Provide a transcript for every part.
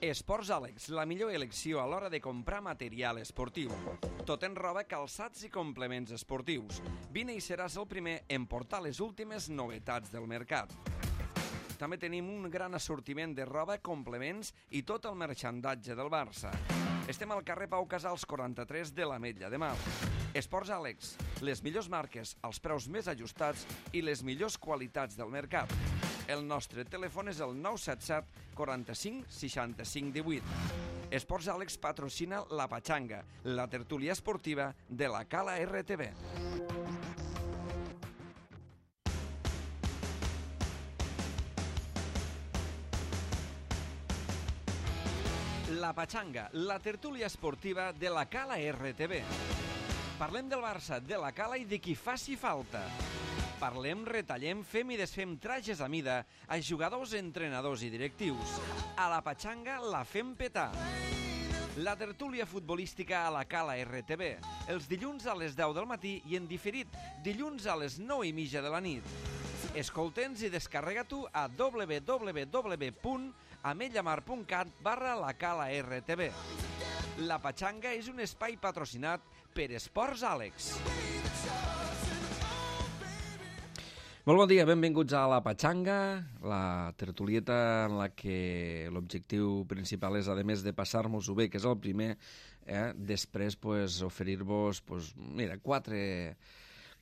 Esports Àlex, la millor elecció a l'hora de comprar material esportiu. Tot en roba, calçats i complements esportius. Vine i seràs el primer en portar les últimes novetats del mercat. També tenim un gran assortiment de roba, complements i tot el marxandatge del Barça. Estem al carrer Pau Casals 43 de l'Ametlla de Mar. Esports Àlex, les millors marques, els preus més ajustats i les millors qualitats del mercat. El nostre telèfon és el 977 45 65 18. Esports Àlex patrocina La Pachanga, la tertúlia esportiva de la Cala RTV. La Pachanga, la tertúlia esportiva de la Cala RTV. Parlem del Barça, de la Cala i de qui faci falta. Parlem, retallem, fem i desfem trajes a mida a jugadors, entrenadors i directius. A la Pachanga la fem petar. La tertúlia futbolística a la Cala RTV, els dilluns a les 10 del matí i en diferit, dilluns a les 9:30 de la nit. Escolta'ns i descarrega-t'ho a www.ametllamar.cat/la Cala RTV. La Pachanga és un espai patrocinat per Esports Àlex. Molt bon dia, benvinguts a La Pachanga, la tertulieta en la que l'objectiu principal és, a més de passar-nos-ho bé, que és el primer, després oferir-vos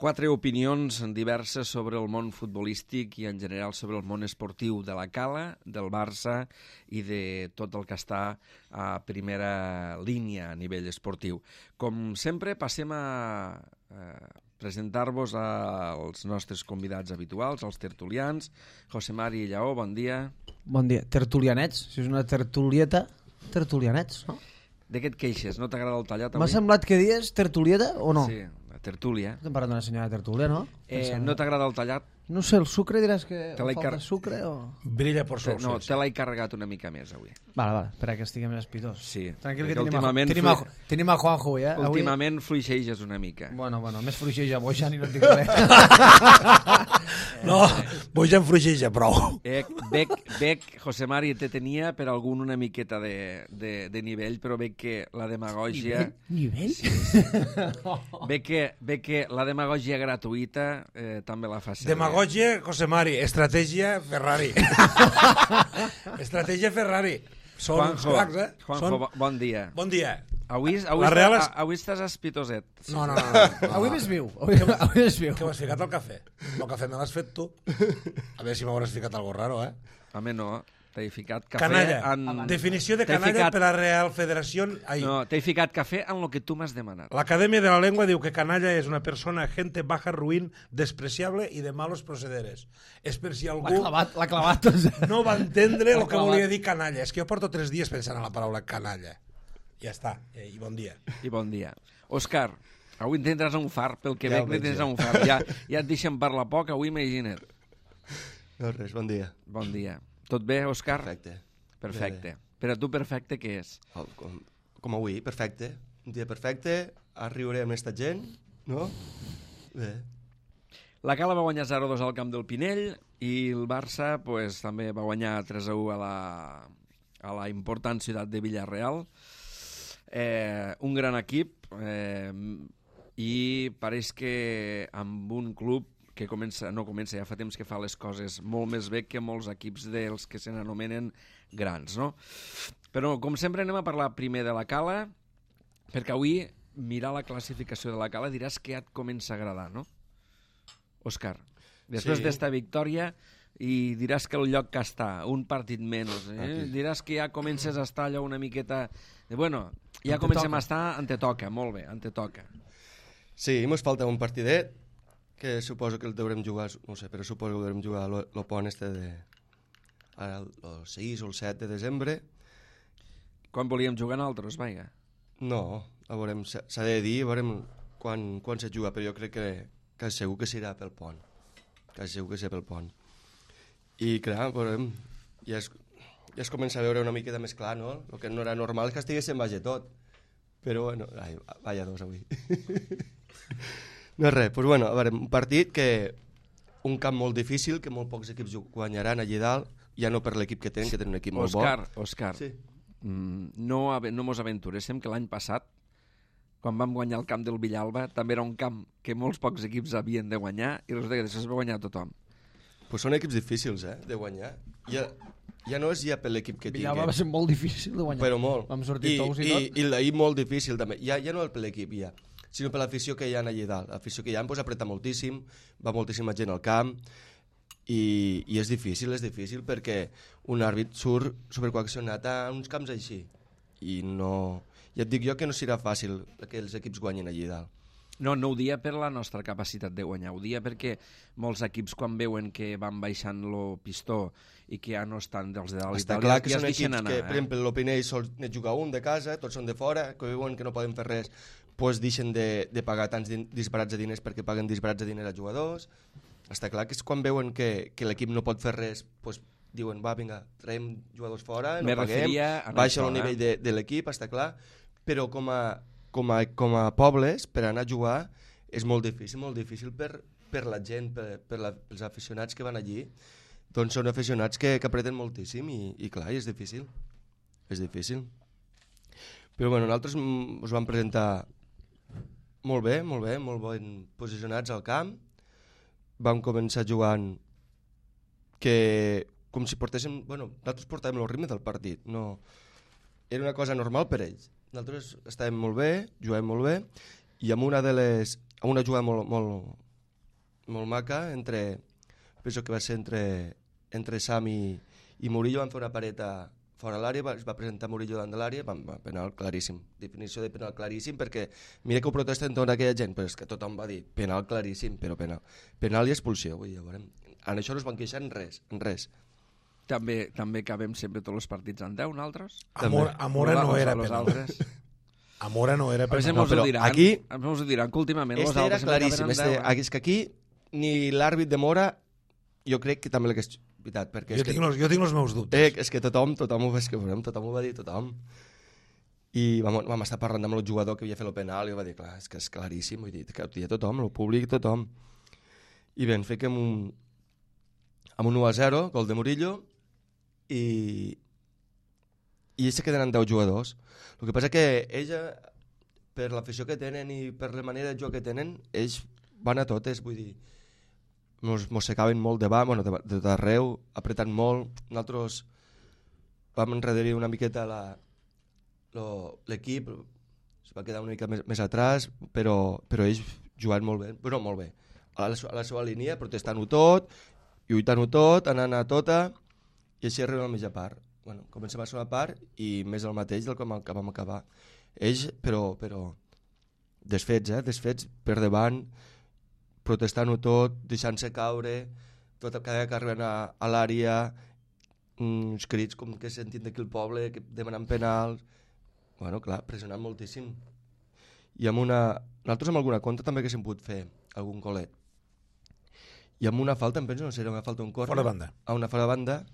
quatre opinions diverses sobre el món futbolístic i en general sobre el món esportiu de la Cala, del Barça i de tot el que està a primera línia a nivell esportiu. Com sempre, passem a presentar-vos als nostres convidats habituals, als tertulians. José Mari Lleó, bon dia. Bon dia. Tertulianets, si és una tertulieta, tertulianets, no? De què et queixes? No t'agrada el tallat avui? M'ha semblat que dies tertulieta o no? Sí, la tertúlia. Estem parlant d'una senyora tertúlia, no? No t'agrada el tallat? No sé, el sucre diràs que falta sucre o... Brilla por sol. No, te l'he carregat una mica més avui. Vale, espera que estigui més espitós. Sí. Tranquil, que últimament tenim a Juanjo avui, eh? Últimament fluixeges una mica. Bueno, més fluixeja Bojan i no et dic res. No, Bojan fluixeja prou. Bec, José Mari, te tenia per algun una miqueta de nivell, però veig que la demagògia... Nivell? Sí. Veig que la demagògia gratuïta també la fa servir. Demagògia, José Mari, estratègia Ferrari. Estratègia Ferrari. Juanjo, bon dia. Bon dia. Avui estàs espitoset. No. Avui més viu. Avui més viu. Què m'has ficat al cafè? El cafè me l'has fet tu. A veure si m'hauràs ficat algo raro, eh? Home, no. T'he ficat cafè canalla. Definició de canalla per la Real Federació. No, t'he ficat cafè en el que tu m'has demanat. L'Acadèmia de la Lengua diu que canalla és una persona, gente baja, ruin, despreciable i de malos procederes. És per si algú l'ha clavat. No va entendre el que volia dir canalla. És que jo porto 3 dies pensant en la paraula canalla. Ja està. I bon dia. I bon dia. Òscar, avui en tindràs un far, pel que veig tindràs un far. Ja et deixen parlar poc, avui imagina't. No res, bon dia. Bon dia. Tot bé, Òscar? Perfecte. Per a tu perfecte què és? Com avui, perfecte. Un dia perfecte, a riure amb aquesta gent, no? Bé. La Cala va guanyar 0-2 al camp del Pinell i el Barça també va guanyar 3-1 a la important ciutat de Villarreal. Un gran equip i pareix que amb un club que ja fa temps que fa les coses molt més bé que molts equips dels que se n'anomenen grans, no? Però, com sempre, anem a parlar primer de la Cala, perquè avui, mirar la classificació de la Cala, diràs que ja et comença a agradar, no? Òscar, després d'esta victòria, i diràs que el lloc que està, un partit menys, diràs que ja comences a estar allò una miqueta... Bueno, ja comencem a estar on te toca, molt bé, on te toca. Sí, mos falta un partidet, que suposo que el deurem jugar, no sé, però suposo que el deurem jugar el pont el 6 o el 7 de desembre. Quan volíem jugar nosaltres, vaja? No, s'ha de dir, veurem quan se juga, però jo crec que segur que serà pel pont. I clar, veurem, ja es comença a veure una miqueta més clar, no? El que no era normal és que estiguéssim baix tot. Però bueno, vaya dos avui. No és res, doncs bueno, a veure, un partit que un camp molt difícil, que molt pocs equips guanyaran allà dalt, ja no per l'equip que tenen un equip molt bo. Òscar, Sí. no mos aventuréssim que l'any passat, quan vam guanyar el camp del Villalba, també era un camp que molts pocs equips havien de guanyar i resulta que després va guanyar tothom. Pues són equips difícils, de guanyar. Ja no és ja per l'equip que tingui. Villalba va ser molt difícil de guanyar. Però molt. Vam sortir tous i tot. I l'ahir molt difícil també. Ja no per l'equip, sinó per l'afició que hi ha allà dalt. L'afició que hi ha pues, apreta moltíssim, va moltíssima gent al camp i és difícil perquè un àrbit surt supercoaccionat a uns camps així. I no... Ja et dic jo que no serà fàcil que els equips guanyin allà dalt. No ho dia per la nostra capacitat de guanyar, ho dia perquè molts equips quan veuen que van baixant el pistó i que ja no estan dels de dalt i Està tal, clar que ja són es deixen equips anar. que, per exemple, l'Opinell sol jugar un de casa, tots són de fora, que veuen que no poden fer res, doncs deixen de pagar tants disbarats de diners perquè paguen disbarats de diners a jugadors. Està clar que és quan veuen que l'equip no pot fer res, doncs diuen, va, vinga, traiem jugadors fora, no paguem, baixa el nivell de l'equip, està clar, però com a pobles, per anar a jugar, és molt difícil per la gent, pels aficionats que van allí, doncs són aficionats que apreten moltíssim i clar, és difícil. Però bueno, nosaltres us vam presentar molt ben posicionats al camp, vam començar jugant com si portéssim... Bueno, nosaltres portàvem el ritme del partit, no... Era una cosa normal per ells. Nosaltres estàvem molt bé, jugàvem molt bé, i amb una jugada molt maca, penso que va ser entre Sam i Murillo, van fer una pareta fora l'àrea, es va presentar Murillo davant de l'àrea, penal claríssim, definició de penal claríssim, perquè mira que ho protesten tota aquella gent, però és que tothom va dir penal claríssim, però penal i expulsió, vull dir, ja veurem. En això no es van queixar en res. També acabem sempre tots els partits en 10, nosaltres? Amora no era penal. Amora no era penal. No, però aquí... Ens ho diran que últimament els era altres claríssim. acaben És que aquí ni l'àrbit de Mora, jo crec que també l'hagués pitat. Jo tinc els meus dubtes. És que tothom ho va dir, tothom. I vam estar parlant amb el jugador que havia fet el penal i va dir, clar, és que és claríssim, vull dir, que ho dia tothom, el públic, tothom. I bé, ens fiquem amb un 1-0, gol de Murillo, i ells se queden amb 10 jugadors. El que passa que ells, per l'afició que tenen i per la manera de jugar que tenen, ells van a totes, vull dir, mossecaven molt davant, bueno, de tot arreu, apretant molt. Nosaltres vam enrederir una miqueta l'equip, es va quedar una mica més atrás, però ells jugant molt bé, però molt bé. A la seva línia, protestant-ho tot, lluitant-ho tot, anant a tota, i així arribem a la mitja part. Bueno, comencem a la segona part i més el mateix del que vam acabar. Ells, però desfets per davant, protestant-ho tot, deixant-se caure, cada vegada que arriben a l'àrea, uns crits com que sentim d'aquí el poble, que demanant penals, bueno, clar, pressionant moltíssim. I nosaltres amb alguna contra també que s'hem pogut fer algun golet. I amb una falta, em penso, no sé, era una falta un córner. Fora de banda. A una fora de banda,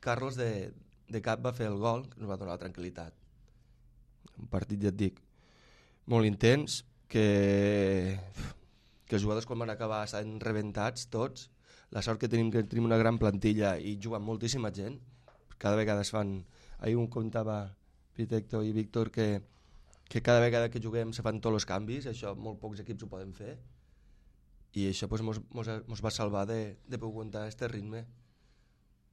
Carlos de cap va fer el gol, que ens va donar la tranquil·litat. Un partit, ja et dic, molt intens, que els jugadors quan van acabar estaven rebentats tots. La sort que tenim una gran plantilla i juguen moltíssima gent. Cada vegada es fan... Ahir un contava Pitecto i Víctor que cada vegada que juguem se fan tots els canvis, això molt pocs equips ho poden fer. I això pues, mos va salvar de poder aguantar aquest ritme.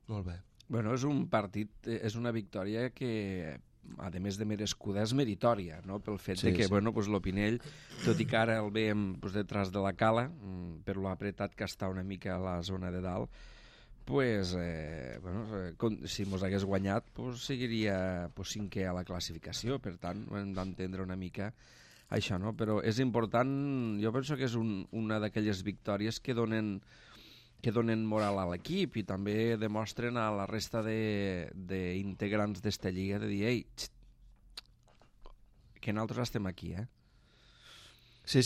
Molt bé. Bueno, és un partit, és una victòria que, a més de merescuda, és meritòria, no? Pel fet de que bueno, pues, l'Opinell, tot i que ara el veiem pues, detrás de la cala, per lo apretat que està una mica a la zona de dalt, pues, bueno, si mos hagués guanyat pues, seguiria pues, cinquè a la classificació, per tant hem d'entendre una mica això, no? Però és important, jo penso que és una d'aquelles victòries que donen moral a l'equip i també demostren a la resta d'integrants d'esta lliga de dir, ei, que nosaltres estem aquí, Sí,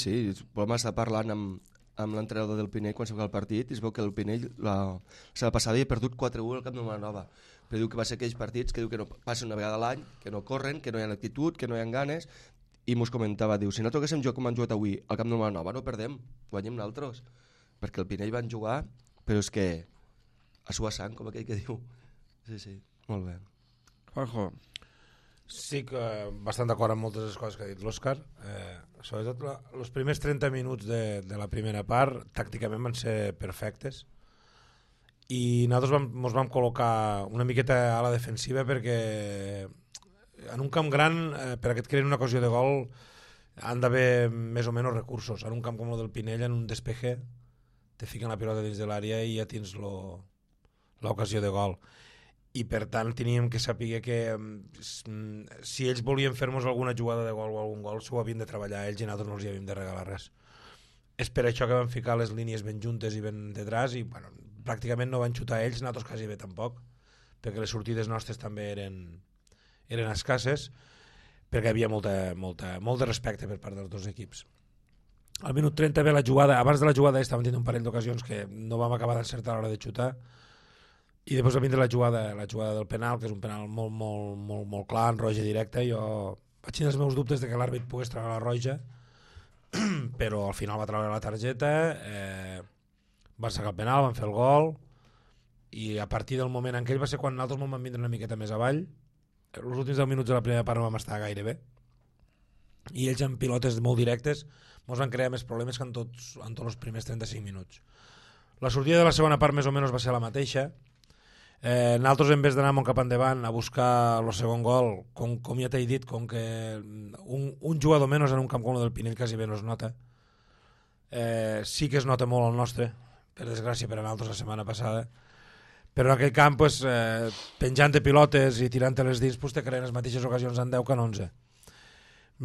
vam estar parlant amb l'entrenador del Pinell quan s'ha el partit i es veu que el Pinell la setmana passada havia perdut 4-1 al Camp de Vilanova, però diu que va ser aquells partits que diu que no passen una vegada a l'any, que no corren, que no hi ha actitud, que no hi ha ganes, i mos comentava, diu, si no toquéssim joc com han jugat avui al Camp de Vilanova no perdem, guanyem nosaltres, perquè el Pinell van jugar però és que a sua sang, com aquell que diu. Sí, molt bé. Juanjo. Sí que bastant d'acord amb moltes de les coses que ha dit l'Òscar. Sobretot els primers 30 minuts de la primera part tàcticament van ser perfectes i nosaltres ens vam col·locar una miqueta a la defensiva perquè en un camp gran, per que et creïn una ocasió de gol, han d'haver més o menys recursos. En un camp com el del Pinell, en un despeje, te fiquen la pilota dins de l'àrea i ja tens l'ocasió de gol. I per tant teníem que saber que si ells volien fer-nos alguna jugada de gol o algun gol s'ho havien de treballar ells i nosaltres no els hi havíem de regalar res. És per això que van ficar les línies ben juntes i ben detrás i bueno, pràcticament no van xutar ells, nosaltres quasi bé tampoc, perquè les sortides nostres també eren escasses, perquè hi havia molt de respecte per part dels dos equips. Al minut 30 ve la jugada, abans de la jugada estàvem tenint un parell d'ocasions que no vam acabar d'encertar a l'hora de xutar. I després va vindre la jugada del penal, que és un penal molt clar, en roja directa. Jo vaig tenir els meus dubtes de que l'àrbit pogués treure la roja, però al final va treure la targeta, van sacar el penal, van fer el gol, i a partir del moment en què ell va ser quan nosaltres vam vindre una miqueta més avall, els últims 10 minuts de la primera part no vam estar gaire bé, i ells amb pilotes molt directes ens van crear més problemes que en tots els primers 35 minuts. La sortida de la segona part més o menys va ser la mateixa. Nosaltres en vez d'anar molt cap endavant a buscar el segon gol, com ja t'he dit, com que un jugador menys en un camp com el del Pinell quasi bé no es nota, sí que es nota molt el nostre, per desgràcia per a nosaltres la setmana passada, però en aquell camp pues, penjant de pilotes i tirant-te les dins pues, te creen les mateixes ocasions en 10 que en 11.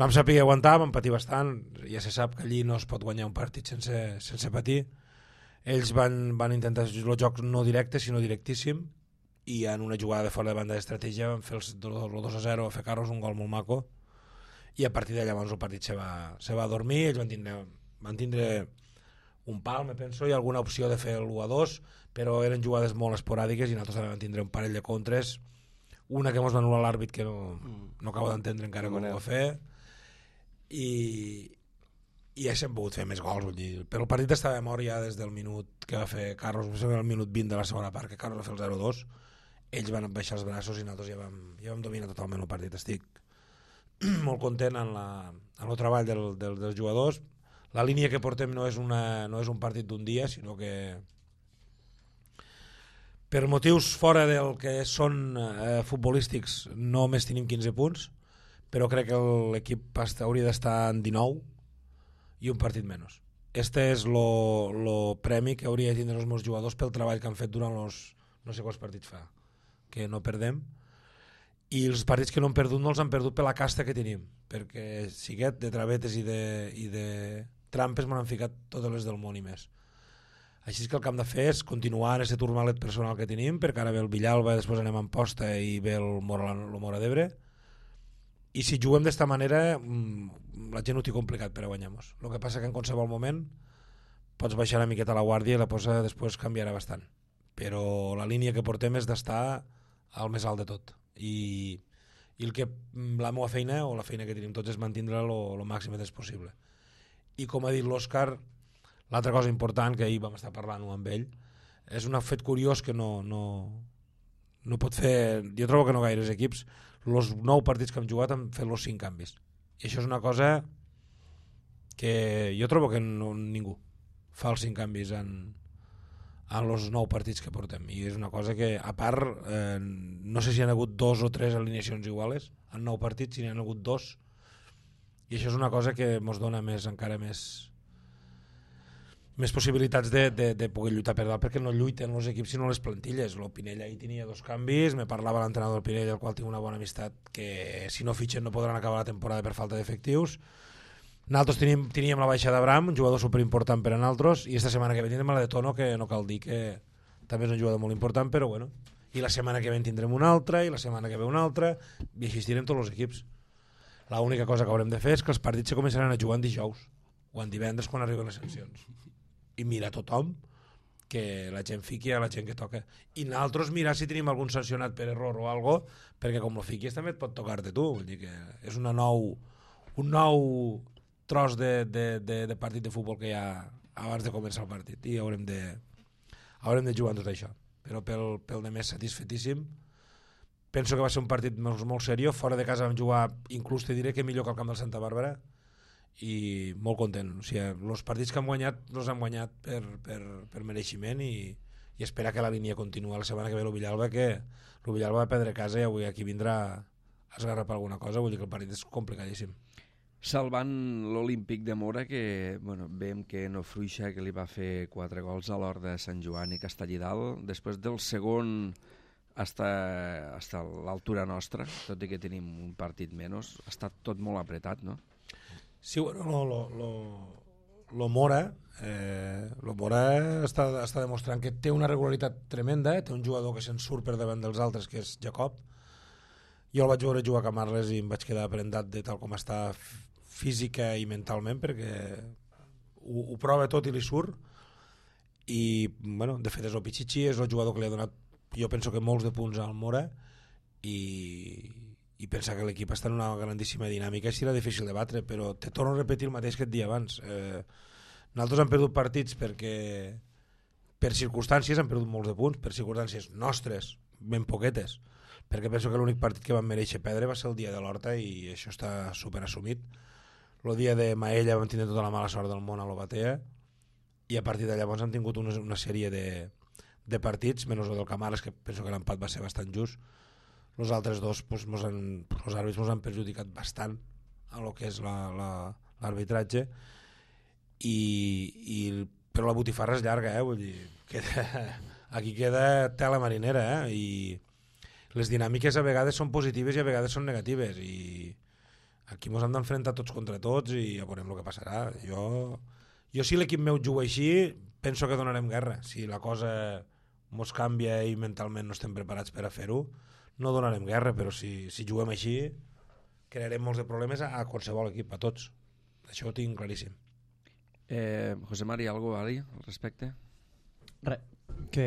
Vam saber aguantar, vam patir bastant, ja se sap que allí no es pot guanyar un partit sense patir. Ells van intentar el joc no directe sinó directíssim i en una jugada de fora de banda d'estratègia van fer el 2-0 a fer-nos un gol molt maco i a partir d'allà el partit se va dormir. Ells van tindre un pal, me penso, i alguna opció de fer l'1-2, però eren jugades molt esporàdiques i nosaltres també vam tindre un parell de contres, una que ens va anul·lar l'àrbit que no acabo d'entendre encara com ho va fer i ja s'han pogut fer més gols, vull dir. Però el partit estava mort ja des del minut que va fer Carlos, el minut 20 de la segona part, que Carlos va fer el 0-2, ells van baixar els braços i nosaltres ja vam dominar totalment el partit. Estic molt content en el treball dels jugadors. La línia que portem no és un partit d'un dia, sinó que per motius fora del que són futbolístics no només tenim 15 punts, però crec que l'equip hauria d'estar en 19 i un partit menys. Este és el premi que hauria de tindre els meus jugadors pel treball que han fet durant els no sé quants partits fa que no perdem, i els partits que no hem perdut no els han perdut per la casta que tenim, perquè siguet de travetes i de trampes m'han ficat totes les del món i més. Així que el que hem de fer és continuar en aquest turmalet personal que tenim, perquè ara ve el Villalba, després anem a Amposta i ve el Mora d'Ebre, i si juguem d'esta manera la gent ho té complicat per a guanyar-nos. El que passa que en qualsevol moment pots baixar una miqueta la guàrdia i la cosa després canviarà bastant, però la línia que portem és d'estar al més alt de tot i la meva feina o la feina que tenim tots és mantenir-la el màxim de temps possible. I com ha dit l'Òscar, l'altra cosa important que ahir vam estar parlant-ho amb ell és un fet curiós que no pot fer, jo trobo que no gaires equips, els 9 partits que hem jugat han fet els 5 canvis i això és una cosa que jo trobo que ningú fa els 5 canvis en els 9 partits que portem i és una cosa que a part no sé si hi ha hagut 2 o 3 alineacions iguales en 9 partits, si n'hi ha hagut 2 i això és una cosa que ens dona encara més possibilitats de poder lluitar per dalt, perquè no lluiten els equips sinó les plantilles. El Pinell ahir tenia 2 canvis, me parlava l'entrenador del Pinell, el qual tinc una bona amistat, que si no fitxen no podran acabar la temporada per falta d'efectius. Nosaltres teníem la baixa d'Abraham, un jugador superimportant per a nosaltres, i esta setmana que ve tindrem la de Tono, que no cal dir que també és un jugador molt important, però bueno, i la setmana que ve tindrem una altra, i la setmana que ve una altra, i així estirem tots els equips. L'única cosa que haurem de fer és que els partits se començaran a jugar en dijous, o en divendres quan arriben les sancions. I mira tothom que la gent fiqui a la gent que toca i nosaltres mirar si tenim algun sancionat per error o algo, perquè com lo fiquis també et pot tocar-te tu, vull dir que és un nou tros de partit de futbol que hi ha abans de començar el partit i haurem haurem de jugar en tot això. Però pel de més satisfetíssim. Penso que va ser un partit molt seriós. Fora de casa vam jugar, inclús te diré que millor que el camp del Santa Bàrbara, i molt content. O sigui, els partits que hem guanyat els hem guanyat per mereixement i esperar que la línia continua la setmana que ve l'Ovillalba, que l'Ovillalba va perdre casa i avui aquí vindrà a esgarrapar alguna cosa, vull dir que el partit és complicadíssim. Salvant l'Olímpic de Mora, que veiem que no fruixa, que li va fer 4 gols a l'hora de Sant Joan i Castellidal, després del segon hasta l'altura nostra, tot i que tenim un partit menys, ha estat tot molt apretat, no? Sí, bueno, lo Mora està demostrant que té una regularitat tremenda, té un jugador que se'n surt per davant dels altres, que és Jacob. Jo el vaig veure jugar a Camarles i em vaig quedar prendat de tal com està física i mentalment, perquè ho prova tot i li surt, i bueno, de fet és el Pichichi, és el jugador que li ha donat, jo penso que molts de punts al Mora, i pensar que l'equip està en una grandíssima dinàmica serà difícil de batre, però te torno a repetir el mateix que et dia abans. Nosaltres hem perdut partits perquè per circumstàncies hem perdut molts de punts, per circumstàncies nostres, ben poquetes, perquè penso que l'únic partit que vam mereixer perdre va ser el dia de l'Horta i això està superassumit. El dia de Maella vam tindre tota la mala sort del món a l'Obatea i a partir de llavors hem tingut una sèrie de partits, menys el del Camarles, que penso que l'empat va ser bastant just. Els altres dos, els àrbits ens han perjudicat bastant a lo que és l'arbitratge, però la botifarra és llarga, vull dir, aquí queda tela marinera, i les dinàmiques a vegades són positives i a vegades són negatives, i aquí ens hem d'enfrontar tots contra tots i ja veurem el que passarà. Jo si l'equip meu juga així, penso que donarem guerra. Si la cosa ens canvia i mentalment no estem preparats per a fer-ho, no donarem guerra, però si juguem així crearem molts de problemes a qualsevol equip, a tots. Això ho tinc claríssim. José Mari, algo a dir al respecte? Res, que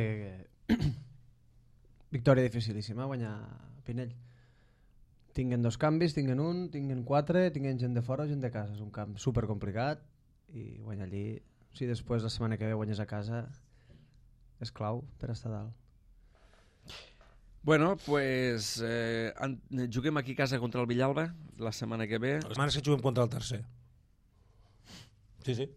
victòria dificilíssima guanyar Pinell. Tinguen 2 canvis, tinguen un, tinguen 4, tinguen gent de fora o gent de casa. És un camp supercomplicat i guanyar allí, si després la setmana que ve guanyes a casa, és clau per estar dalt. Bueno, pues juguem aquí a casa contra el Villalba la setmana que ve. La setmana que juguem contra el tercer. Sí.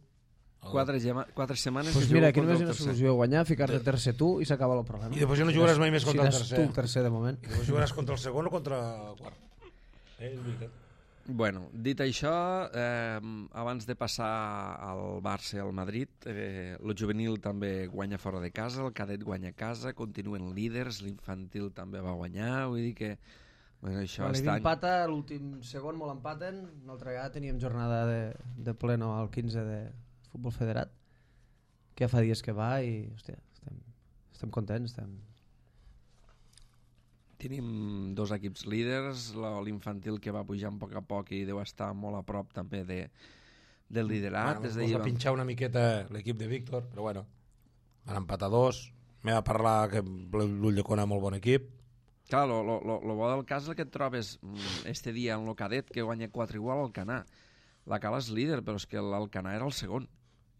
4 setmanes pues que mira, juguem aquí només hi ha contra el una tercer. solució, guanyar, ficar-te tercer tu i s'acaba el problema. I després ja no jugaràs mai més contra el tercer. Tu tercer de moment. I després jugaràs contra el segon o contra el quart. És veritat. Bueno, dit això, abans de passar al Barça i al Madrid, el juvenil també guanya fora de casa, el cadet guanya a casa, continuen líders, l'infantil també va guanyar, vull dir que això està... Empata, l'últim segon molt empaten, una altra vegada teníem jornada de pleno al 15 de futbol federat, que ja fa dies que va i hòstia, estem contents, Tenim 2 equips líders, l'infantil que va pujant a poc i deu estar molt a prop també del liderat. Ens va pinxar una miqueta l'equip de Víctor, però bueno, van empatar 2. M'he de parlar que l'Ulldecona és molt bon equip. Clar, lo bo del cas és el que et trobes este dia en el cadet, que guanya 4 igual al Canà. La Cala és líder, però és que l'Alcanar era el segon.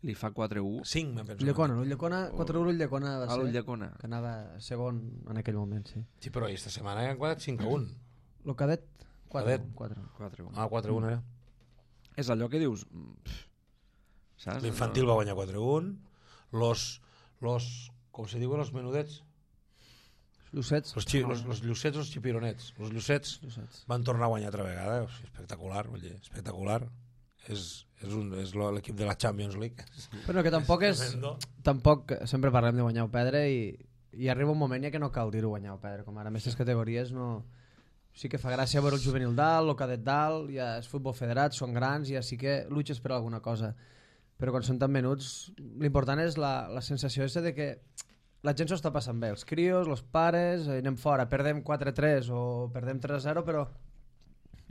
Li fa 4-1. 5, me'n penso. L'Ulldecona, 4-1 l'Ulldecona va ser. L'Ulldecona. Que anava segon en aquell moment, sí. Sí, però aquesta setmana han quedat 5-1. El cadet? 4-1. 4-1. Ah, 4-1 era. És allò que dius... Saps? L'infantil va guanyar 4-1. Los com se diuen, los menudets? Llucets. Los llucets, los xipironets. Los llucets van tornar a guanyar altra vegada. O sigui, espectacular, vull dir, espectacular. És l'equip de la Champions League. Però que tampoc sempre parlem de guanyar o perdre i arriba un moment ja que no cal dir-ho guanyar o perdre, com ara en aquestes categories no... Sí que fa gràcia veure el juvenil dalt, el cadet dalt, ja és futbol federat, són grans, ja sí que luches per alguna cosa, però quan són tan menuts l'important és la sensació de que la gent s'ho està passant bé, els crios, els pares, anem fora, perdem 4-3 o perdem 3-0, però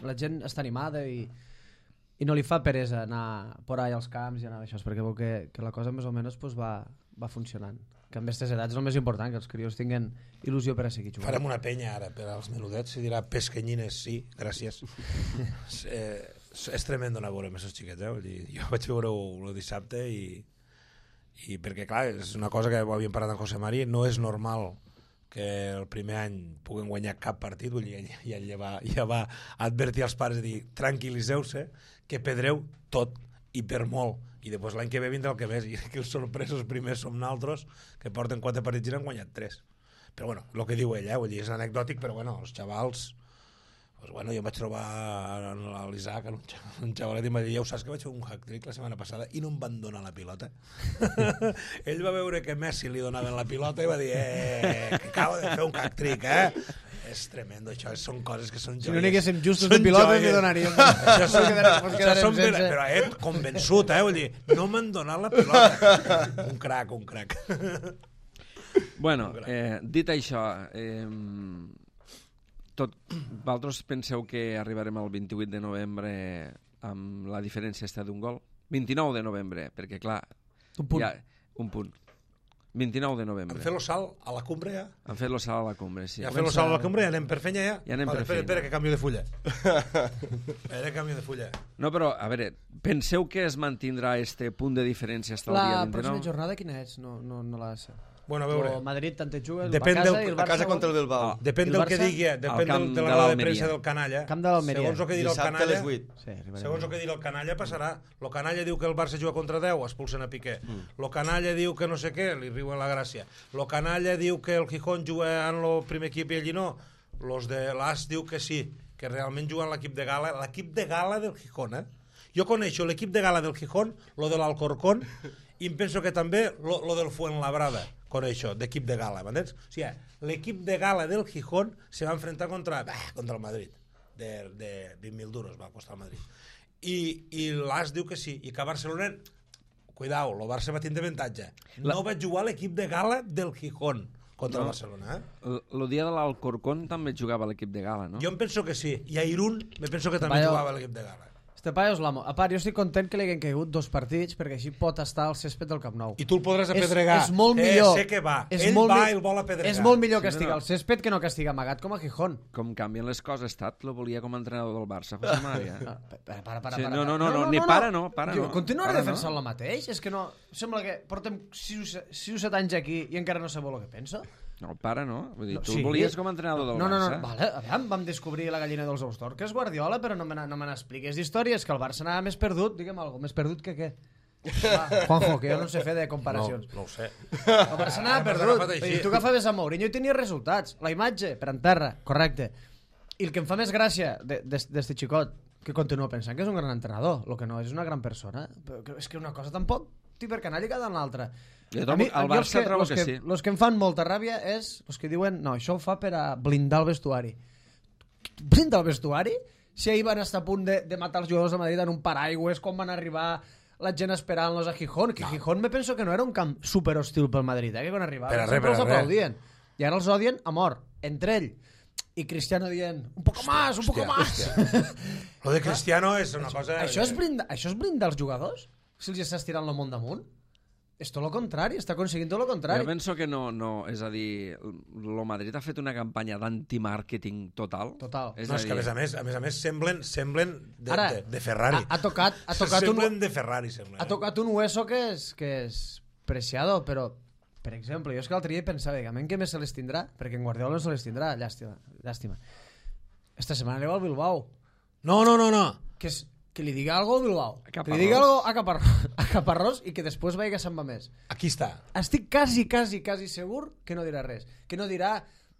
la gent està animada i no li fa peresa anar por ahí als camps i anar d'això, perquè veu que la cosa més o menys pues, va funcionant. Que amb aquestes edats és el més important, que els crios tinguin il·lusió per a seguir jugant. Farem una penya ara per als menudets, se dirà pesquenyines, sí, gràcies. És tremendo anar a veure amb aquests xiquets, Vull dir, jo vaig veure-ho el dissabte i I perquè, clar, és una cosa que ho havíem parlat amb José Mari, no és normal que el primer any puguen guanyar cap partit, vull dir, ja va advertir als pares de dir, tranquil·liseu-se, que perdreu tot i per molt, i després l'any que ve vindrà el que més, i que els sorpresos primers som naltros, que porten 4 partits i n'han guanyat 3. Però bueno, el que diu ell, vull dir, és anecdòtic, però bueno, els xavals, pues bueno, jo em vaig trobar a l'Isaac, un xavalet, i em va dir, ja ho saps que vaig fer un hat-trick la setmana passada i no em van donar la pilota. Ell va veure que Messi li donaven la pilota i va dir, que acabo de fer un hat-trick, És tremendo, això, són coses que són joies. Si no n'haguéssim justos de pilotes, li donaríem. Això són però convençut, vull dir, no m'han donat la pilota. Un crac. Bueno, dit això, vosaltres penseu que arribarem al 28 de novembre amb la diferència d'un gol? 29 de novembre, perquè clar... Un punt. 29 de novembre. Han fet el salt a la cumbre, ja? Han fet el salt a la cumbre, sí. Ja han fet el salt a la cumbre, ja anem per feina, ja? Ja anem per feina. Espera, que canvio de fulla. Canvio de fulla. No, però, a veure, penseu que es mantindrà este punt de diferència fins al dia 29? La pròxima jornada quina és? No la sé. Bueno, a veure... O Madrid tant et juga, Depèn va a casa i el Barça... A casa contra el Bilbao. Depèn del que digui, depèn de la roda de premsa del canalla. Camp de l'Almeria. Segons el que dirà el canalla... Segons el que dirà el canalla passarà. El canalla diu que el Barça juga contra 10, expulsen a Piqué. El canalla diu que no sé què, li riuen la gràcia. El canalla diu que el Gijón juga en el primer equip i ell no. Los de l'As diu que sí, que realment juguen l'equip de gala. L'equip de gala del Gijón, Jo coneixo l'equip de gala del Gijón, lo de l'Alcorcón, i em penso que també lo del Fuenlabrada. Coneixo, d'equip de gala, m'entens? O sigui, l'equip de gala del Gijón se va enfrentar contra el Madrid, de 20.000 duros va costar el Madrid. I l'As diu que sí, i que a Barcelona, cuidao, el Barça va tindre avantatge. No va jugar l'equip de gala del Gijón contra el Barcelona. El dia de l'Alcorcón també jugava l'equip de gala, no? Jo em penso que sí, i a Irún me penso que també jugava l'equip de gala. Este paio és l'amo. A part, jo estic content que li hagin caigut 2 partits perquè així pot estar al césped del Camp Nou. I tu el podràs apedregar. És molt millor. Sé que va. Ell va i el vol apedregar. És molt millor que estigui al césped que no que estigui amagat com a Gijón. Com canvien les coses, lo volia com a entrenador del Barça, José María. Para. No, ni para, no. Continuaré defensant el mateix? És que no... Sembla que portem 6 o 7 anys aquí i encara no sabeu el que penso. No, no. Vull dir, tu el volies com a entrenador del Barça. No, vale, aviam, vam descobrir la gallina dels ous d'or, que és Guardiola, però no me n'expliquis d'històries, que el Barça anava més perdut, digue'm alguna cosa, més perdut que què? Juanjo, que jo no sé fer de comparacions. No ho sé. El Barça anava perdut, i tu agafaves a Mourinho i tenia resultats. La imatge, per en terra, correcte. I el que em fa més gràcia d'este xicot, que continuo pensant que és un gran entrenador, el que no és una gran persona, però és que una cosa tampoc tibercanàlica de l'altra. El Barça trobo que sí. Els que em fan molta ràbia és els que diuen no, això ho fa per a blindar el vestuari. Blindar el vestuari? Si ahir van estar a punt de matar els jugadors de Madrid en un paraigües, com van arribar la gent esperant-los a Gijón, que Gijón me penso que no era un camp super hostil pel Madrid, que quan arribaven sempre els aplaudien. I ara els odien a mort, entre ell. I Cristiano dient, un poco más. Lo de Cristiano és una cosa... Això és blindar els jugadors? Si els està estirant el món damunt? És tot el contrari, està aconseguint tot el contrari. Jo penso que no, és a dir, el Madrid ha fet una campanya d'antimàrqueting total. És que a més semblen de Ferrari. Ha tocat semblen de Ferrari, semblen. Ha tocat un hueso que és preciado, però, per exemple, jo és que l'altre dia pensava, a mi que més se les tindrà, perquè en Guardiola no se les tindrà, llàstima. Esta setmana aneu al Bilbao. No. Que li diga algo al Bilbao, que li diga algo a Caparrós i que després vagi a Sant Mamés. Aquí està. Estic quasi segur que no dirà res. Que no dirà,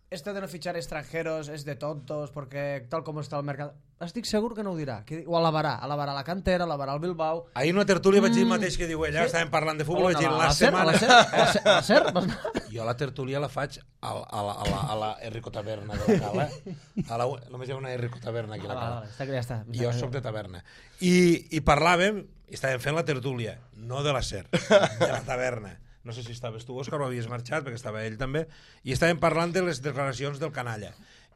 esto de no fichar extranjeros es de tontos porque tal com està el mercat. Estic segur que no ho dirà. Ho alabarà la cantera, alabarà el Bilbao. Ahir en una tertúlia vaig dir el mateix que diu ella, estàvem parlant de futbol, vaig dir la setmana... A la SER? Jo la tertúlia la faig a la Enrico Taverna de la Cala. Només hi ha una Enrico Taverna aquí a la Cala. Està que ja està. Jo soc de taverna. I parlàvem, i estàvem fent la tertúlia, no de la SER, de la taverna. No sé si estaves tu, Òscar, o havies marxat, perquè estava ell també, i estàvem parlant de les declaracions del canalla.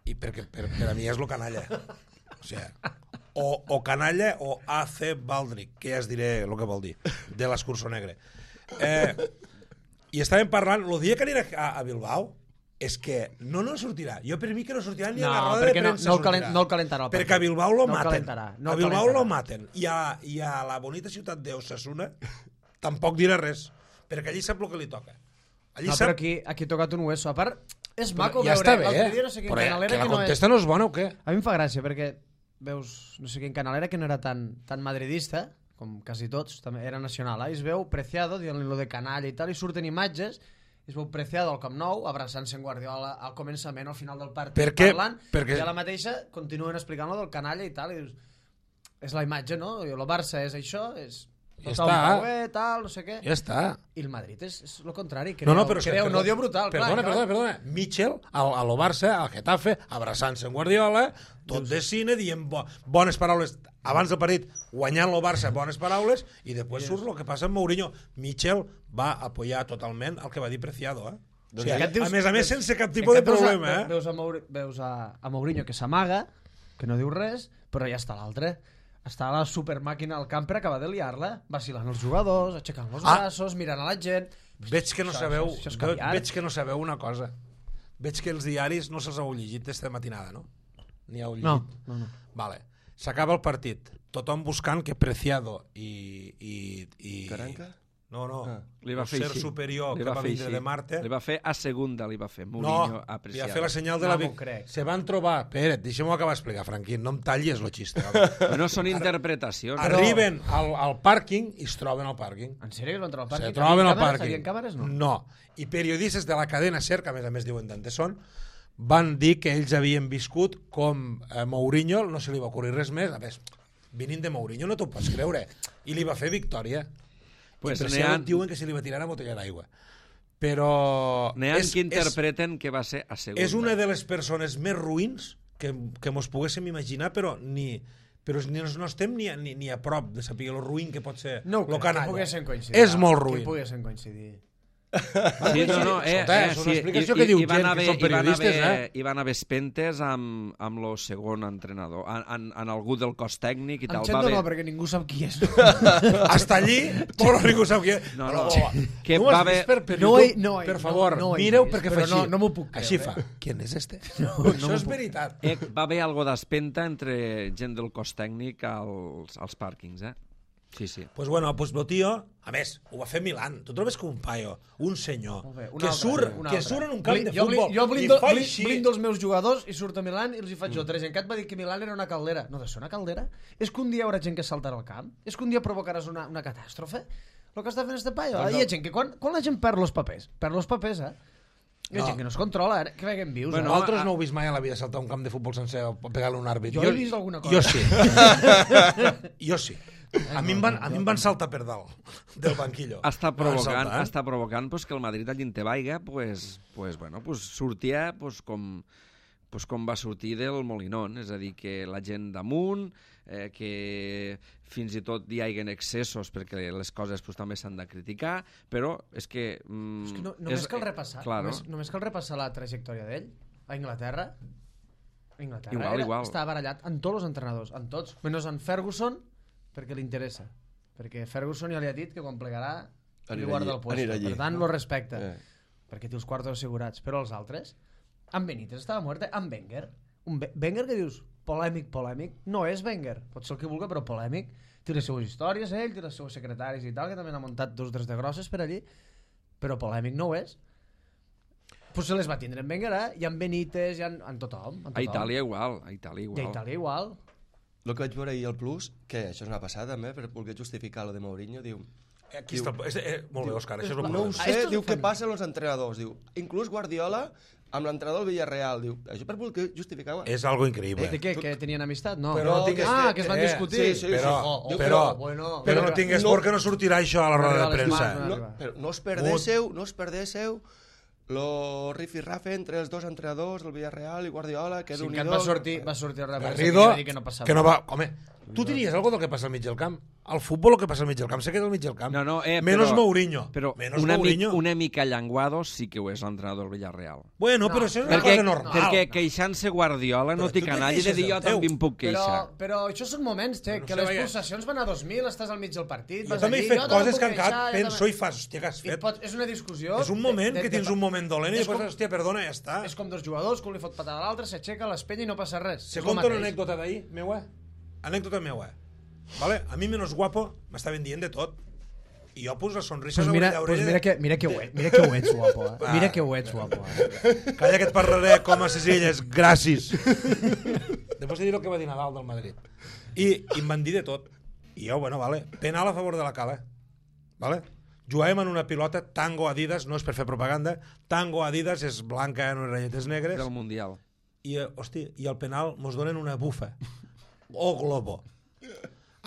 I perquè per a mi és lo canalla. O sigui, o canalla o AC Baldric, que ja es diré el que vol dir, de l'escurçó negre. I estàvem parlant, el dia que anirà a Bilbao, és que no sortirà. Jo per mi que no sortirà ni a la roda de premsa sortirà. No el calentarà. Perquè a Bilbao lo maten. A Bilbao lo maten. I a la bonita ciutat d'Osasuna tampoc dirà res. perquè allí sap el que li toca. No, però aquí ha tocat un hueso. A part, és maco ja veure... està bé, l'altre dia no sé quin però Canalera que la que no contesta no és bona o què? A mi em fa gràcia perquè veus, no sé quin Canalera que no era tan madridista, com quasi tots, també era nacional, i es veu Preciado dient-li lo de canalla i tal, i surten imatges, i es veu Preciado al Camp Nou, abraçant-se en Guardiola al començament, al final del partit, parlant, i a la mateixa continuen explicant lo del canalla i tal, i dius, és la imatge, no? I el Barça és això, és... Ja està. Tal, no sé què. Ja està. I el Madrid és el contrari, creu un odio brutal. Perdona. Mitchell, al Barça, al Getafe, abraçant-se en Guardiola, tot de cine, dient bones paraules abans del partit, guanyant el Barça, bones paraules, i després surt el que passa amb Mourinho. Mitchell va apoyar totalment el que va dir Preciado, O sigui, a més, sense cap tipus de problema, Veus a Mourinho que s'amaga, que no diu res, però ja està l'altre. Està la supermàquina al camp per acabar de liar-la, vacilant els jugadors, aixecant els braços, mirant a la gent... Veig que no sabeu una cosa. Veig que els diaris no se'ls heu llegit aquesta matinada, no? Ni heu llegit? No. Vale. S'acaba el partit. Tothom buscant que Preciado i Caranca? No. Li va fer ser així. superior que va vindre de Marte. Li va fer a segunda, li va fer. Mourinho a Preciado. Li va fer la senyal de la victòria. Se van trobar... Espera't, deixa'm-ho acabar d'explicar, Franquín. No em tallis el xiste. No són interpretacions. Arriben al pàrquing i es troben al pàrquing. En sèrio que es van trobar al pàrquing? Se troben al pàrquing. Havien càmeres, no? No. I periodistes de la cadena SER, que a més diuen d'on són, van dir que ells havien viscut com Mourinho, no se li va ocorrir res més. A més, venint de Mourinho no t'ho pots creure. I li va fer victòria. Pues I per això diuen que se li va tirar una botella d'aigua. Però... N'hi ha que interpreten que va ser a segunda. És una de les persones més ruïns que mos poguéssim imaginar, però no estem ni a prop de saber lo ruïn que pot ser el canalla. Que poguessin coincidir. És molt ruïn. Que poguessin coincidir. Sí, no, és una explicació que diu gent que són periodistes, Hi van haver espentes amb el segon entrenador, en algú del cos tècnic i tal. Em sento no, perquè ningú sap qui és. Hasta allí, però ningú sap qui és. No, que va haver... Per favor, mireu perquè fa així. No m'ho puc creure. Així fa. Qui és este? Això és veritat. Va haver algo d'espenta entre gent del cos tècnic als pàrquings, Sí. Pues bueno, pues el tio, a més, ho va fer Milan. Tu trobes com un paio, un senyor, que surt en un camp de futbol i fa així. Jo blindo els meus jugadors i surt a Milan i els hi faig jo. Trezencat va dir que Milan era una caldera. No, de ser una caldera? És que un dia hi haurà gent que saltarà al camp? És que un dia provocaràs una catàstrofe? El que està fent este paio? Hi ha gent que quan la gent perd els papers, hi ha gent que no es controla, que veiem vius. Bueno, nosaltres no heu vist mai a la vida saltar un camp de futbol sencer o pegar-li un àrbit. Jo he vist alguna cosa. Jo sí. A mi em van saltar per dalt del banquillo. Està provocant pues, que el Madrid allí en Tebaiga sortia com va sortir del Molinón, és a dir, que la gent damunt, que fins i tot hi haguen excessos perquè les coses també s'han de criticar, però és que... només cal repassar, només cal repassar la trajectòria d'ell a Inglaterra. Igual. Estava barallat amb tots els entrenadors, amb tots, menys en Ferguson, perquè li interessa. Perquè Ferguson ja li ha dit que quan plegarà li guarda el puesto. Per tant, lo respecta. Perquè té els quartos assegurats. Però els altres... En Benítez estava mort. En Wenger. Wenger que dius, polèmic. No és Wenger. Pot ser el que vulgui, però polèmic. Té les seues històries, ell, té les seues secretaris i tal, que també n'ha muntat 2 o 3 de grosses per allí. Però polèmic no ho és. Pues se les va tindre en Wenger, i en Benítez, i en tothom. A Itàlia igual. I a Itàlia igual. El que vaig veure ahir al Plus, que això és una passada també, per voler justificar lo de Mourinho, diu... Aquí està, molt bé, Òscar, això és el no ho sé, diu què passa amb els entrenadors, diu, inclús Guardiola amb l'entrenador del Villarreal, diu, això per voler justificar... És algo increïble. Que tenien amistat? No. Que es van discutir. Sí. Però no tingues por que no sortirà això a la roda de premsa. Però no us perdéssiu lo rifirrafe entre els dos entrenadors del Villarreal i Guardiola, que va sortir a la premsa Garrido, que no passava. Que no va... Home, tu diries alguna cosa del que passa al mig del camp? Al futbol el que passa al mig del camp se queda al mig del camp. Menos Mourinho. Però una mica Llanguado sí que ho és l'entrenador del Villarreal. Bueno, però això és una cosa normal. Perquè queixant-se Guardiola no té canalla de dir jo també em puc queixar. Però això són moments, que les pulsacions van a 2.000, estàs al mig del partit. Jo també he fet coses que encara penso i fas, hòstia, que has fet. És una discussió. És un moment que tens un moment dolent i després, hòstia, perdona, ja està. És com 2 jugadors, que li fot patada a l'altre, s'aixeca, l'espenya i no passa res. Se conta una anècdota d'ahir, meua. Anècdota meua. Vale? A mi menos guapo m'estaven dient de tot. I jo pus la sonrisa pues mira que ho ets, guapo. Mira que ho ets, guapo. Calla que et parlaré com a ses illes. Gràcies. Després de dir el que va dir Nadal del Madrid. I em van dir de tot. I jo, bueno, vale. Penal a favor de la Cala. Vale? Juguem en una pilota Tango Adidas, no és per fer propaganda, Tango Adidas és blanca en unes ratlletes negres. Del Mundial. I, hosti, i al penal mos donen una bufa. O globo.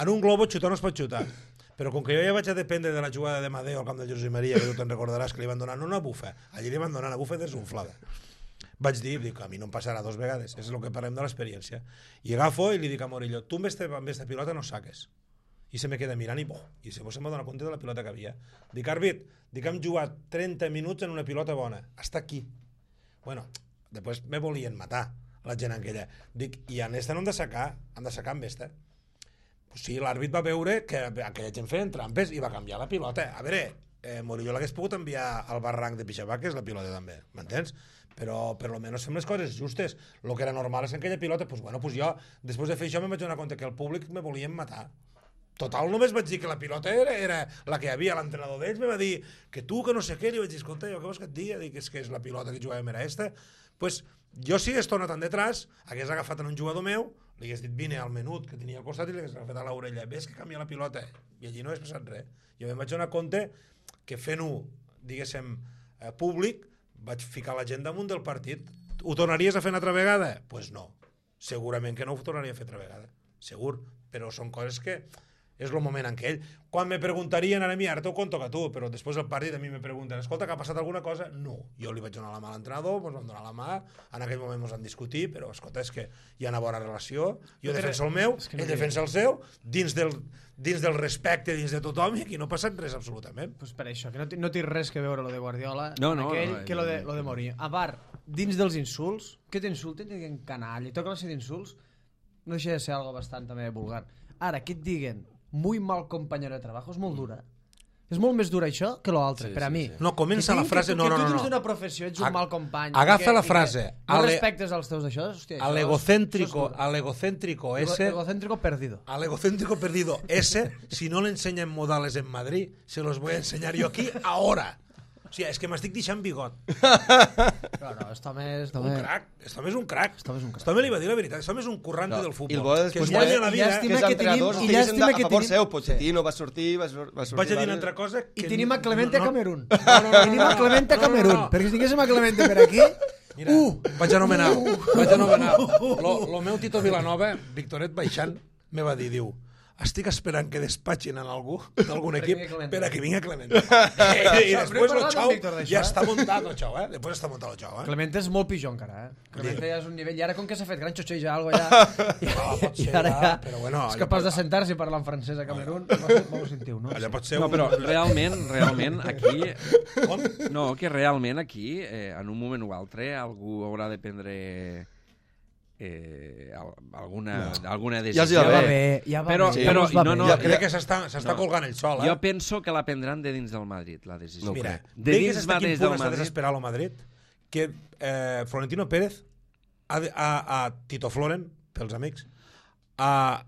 En un globo xutar no es pot xutar. Però com que jo ja vaig a dependre de la jugada de Madeo al camp del Josep Maria, que tu te'n recordaràs que li van donar una bufa, allí li van donar una bufa desunflada. Vaig dir, a mi no em passarà 2 vegades, és el que parlem de l'experiència. I agafo i li dic a Morillo, tu amb esta pilota no saques. I se me queda mirant i se m'ha donat compte de la pilota que havia. Dic, àrbit, hem jugat 30 minuts en una pilota bona, està aquí. Bueno, després me volien matar la gent aquella. Dic, i en esta no hem de sacar amb esta. Pues sí, l'àrbit va veure que aquella gent feien trampes i va canviar la pilota. A veure, Morillo l'hagués pogut enviar al barranc de Pixabac, que és la pilota també, m'entens? Però per lo menos fem les coses justes. El que era normal és que aquella pilota, pues bueno, pues jo, després de fer això, me vaig donar compte que el públic me volien matar. Total, només vaig dir que la pilota era la que hi havia. L'entrenador d'ells me va dir que tu, que no sé què, li vaig dir, escolta, jo què vols que et digui? Dic, és que és la pilota que jugàvem era esta. Pues jo si hagués tornat detrás, hagués agafat en un jugador meu, li hagués dit vine al menut que tenia al costat i li hagués agafat a l'orella, ves que canvia la pilota, i allí no hagués passat res. Jo em vaig donar compte que fent-ho, diguéssim, públic, vaig ficar la gent damunt del partit. Ho tornaries a fer una altra vegada? Doncs pues no, segurament que no ho tornaria a fer altra vegada, segur, però són coses que és el moment en què ell... Quan me preguntarien a mi, ara t'ho conto que tu, però després del partit a mi me pregunten, escolta, que ha passat alguna cosa? No. Jo li vaig donar la mà a l'entrenador, ens vam donar la mà, en aquell moment ens vam discutir, però escolta, és que hi ha una bona relació, jo defenso el meu, ell defensa el seu, dins del respecte, dins de tothom, i aquí no ha passat res absolutament. Pues per això, que no té res que veure lo de Guardiola que lo de Mourinho. A part, dins dels insults, que t'insulten, que diguen canalla, i tota classe d'insults, no deixa de ser algo bastant també vulgar. Ara, que et diguen muy mal compañero de trabajo, és molt dura. És molt més dura això que l'altre, per a mi. No, comença la frase... Que tu dins d'una professió ets un mal company. Agafa la frase. No respectes als teus d'això, hòstia. Al egocéntrico ese... Egocéntrico perdido. Al egocéntrico perdido ese, si no le enseñan modales en Madrid, se los voy a enseñar yo aquí ahora. O sigui, és que m'estic deixant bigot. Claro, esto és un crac. Esto és un crac. Esto li va dir la veritat. Esto és un currante del futbol. I el bo que es guanya la vida. Que els entrenadors estiguessin a favor seu. Pochettino va sortir... Vaig a dir una altra cosa... I tenim a Clemente a Camerún. Tenim a Clemente a Camerún. Perquè si tinguéssim a Clemente per aquí... Mira, vaig anomenar. Lo meu Tito Vilanova, Victoret baixant, me va dir, diu, estic esperant que despatxin en algú d'algun equip per a que vinga Clemente. I després el xau ja està muntat el xau, Després està muntat el xau, Clemente és molt pitjor encara, Clemente ja és un nivell... I ara com que s'ha fet gran xotxeja algo ja... I ara ja és capaç de sentar-se i parlar en francès a Camerún. M'ho sentiu, no? Allà pot ser no, però realment aquí... Com? No, que realment aquí, en un moment o altre, algú haurà de prendre... alguna decisió. Ja va bé. Però crec que s'està colgant el sol. Jo penso que la prendran de dins del Madrid, la decisió. Mira, dins fins a quin punt està desesperat el Madrid que Florentino Pérez a Tito Floren, pels amics, ha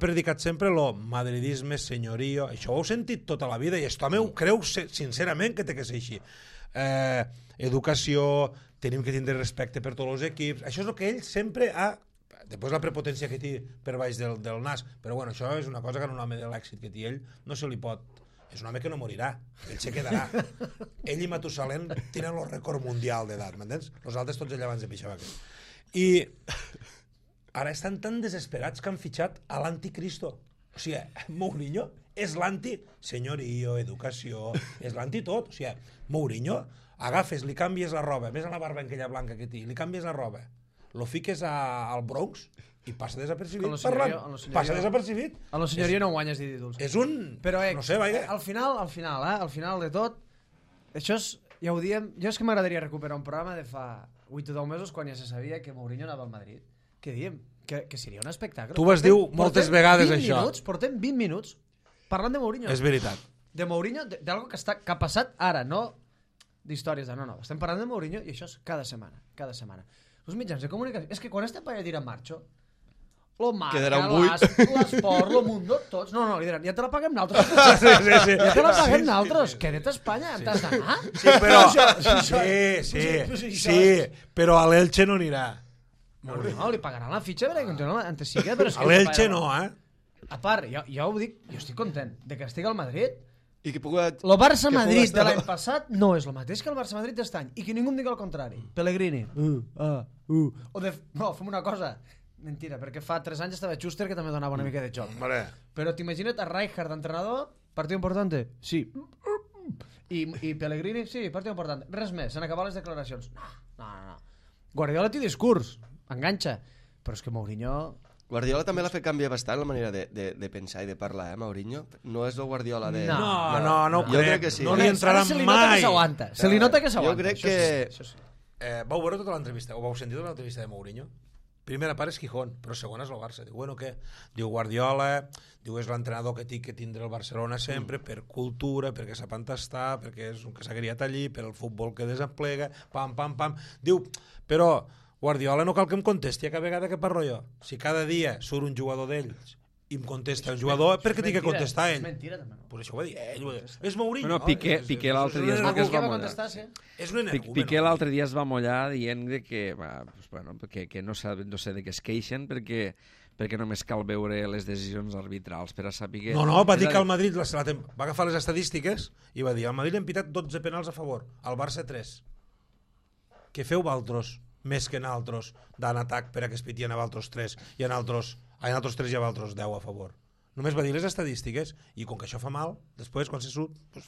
predicat sempre lo madridisme, senyorio. Això ho heu sentit tota la vida i esto meu creu sincerament que té que ser així. Educació, tenim que tindre respecte per tots els equips, això és el que ell sempre ha... Després la prepotència que té per baix del nas, però bueno, això és una cosa que en un home de l'èxit que té ell no se li pot... És un home que no morirà, ell se quedarà. Ell i Matusalén tenen el rècord mundial d'edat, m'entens? Els altres tots allà abans de pixar. I ara estan tan desesperats que han fitxat a l'anticristo. O sigui, Mourinho és l'anti-senyorio, educació, és l'anti-tot. O sigui, Mourinho... Agafes, li canvies la roba, ves a la barba aquella blanca que té, li canvies la roba, lo fiques al Bronx i passa desapercibit parlant. Passa desapercibit. A la senyoria no guanyes dir títols. És un... Però, no sé, vaja. Al final de tot, això és, ja ho diem, jo és que m'agradaria recuperar un programa de fa 8 o 10 mesos quan ja se sabia que Mourinho anava al Madrid. Què diem? Que seria un espectacle. Tu vas dir moltes vegades això. Portem 20 minuts parlant de Mourinho. És veritat. De Mourinho, d'algo que ha passat ara, no... d'històries, no, estem parlant de Mourinho i això és cada setmana. Els mitjans de comunicació, és que quan estem per allà dir en marxo, lo marca, Quedarà un buit. l'esport, lo mundo, tots. No, li diran, ja te la paguem nosaltres. Sí. Ja te la paguem nosaltres. Queda't a Espanya, t'has d'anar. Sí, però... Sí, però a l'Elche no anirà. No, li pagaran la fitxa perquè continua antes sí que... A l'Elche no, A part, jo ho dic, jo estic content de que estigui al Madrid. I que pugui... El Barça-Madrid de l'any passat no és el mateix que el Barça-Madrid d'est any. I que ningú em digui el contrari. Pellegrini. No, fem una cosa. Mentira, perquè fa 3 anys estava Schuster, que també donava una mica de joc. Però t'imagina't a Rijkaard d'entrenador, partit importante? Sí. I Pellegrini? Sí, partit important. Res més, s'han acabat les declaracions. No. Guardiola té discurs, enganxa. Però és que Mourinho... Guardiola també l'ha fet canviar bastant la manera de pensar i de parlar, Mourinho? No és el Guardiola de... No ho jo crec que sí. No li entrarà mai. Se li nota que s'aguanta. Se li nota que s'aguanta. Jo crec que... Això sí. Vau veure tota l'entrevista, o vau sentir tota l'entrevista de Mourinho? Primera part és Gijón, però segona és el Barça. Diu, bueno, què? Diu, Guardiola, diu, és l'entrenador que té que tindre el Barcelona sempre, per cultura, perquè sap entastar, perquè és un que s'ha criat allí, per el futbol que desemplega, pam. Diu, però Guardiola no cal que em contesti a cada vegada que parlo jo. Si cada dia surt un jugador d'ells i em contesta un jugador, per què tinc que contestar ell? És mentira, també, no? Però això ho va dir ell. És Mourinho. Bueno, Piqué l'altre dia es va mullar. És un energúmen. Piqué l'altre dia es va mullar dient que no sé de què es queixen perquè només cal veure les decisions arbitrals per a saber... No, va dir que el Madrid va agafar les estadístiques i va dir, al Madrid hem pitat 12 penals a favor, al Barça 3. Què feu valtros més que en altres d'an atac per a que es pitien a valtros 3 i en altres 3 i a valtros 10 a favor? Només va dir les estadístiques i com que això fa mal, després quan se surt, pues,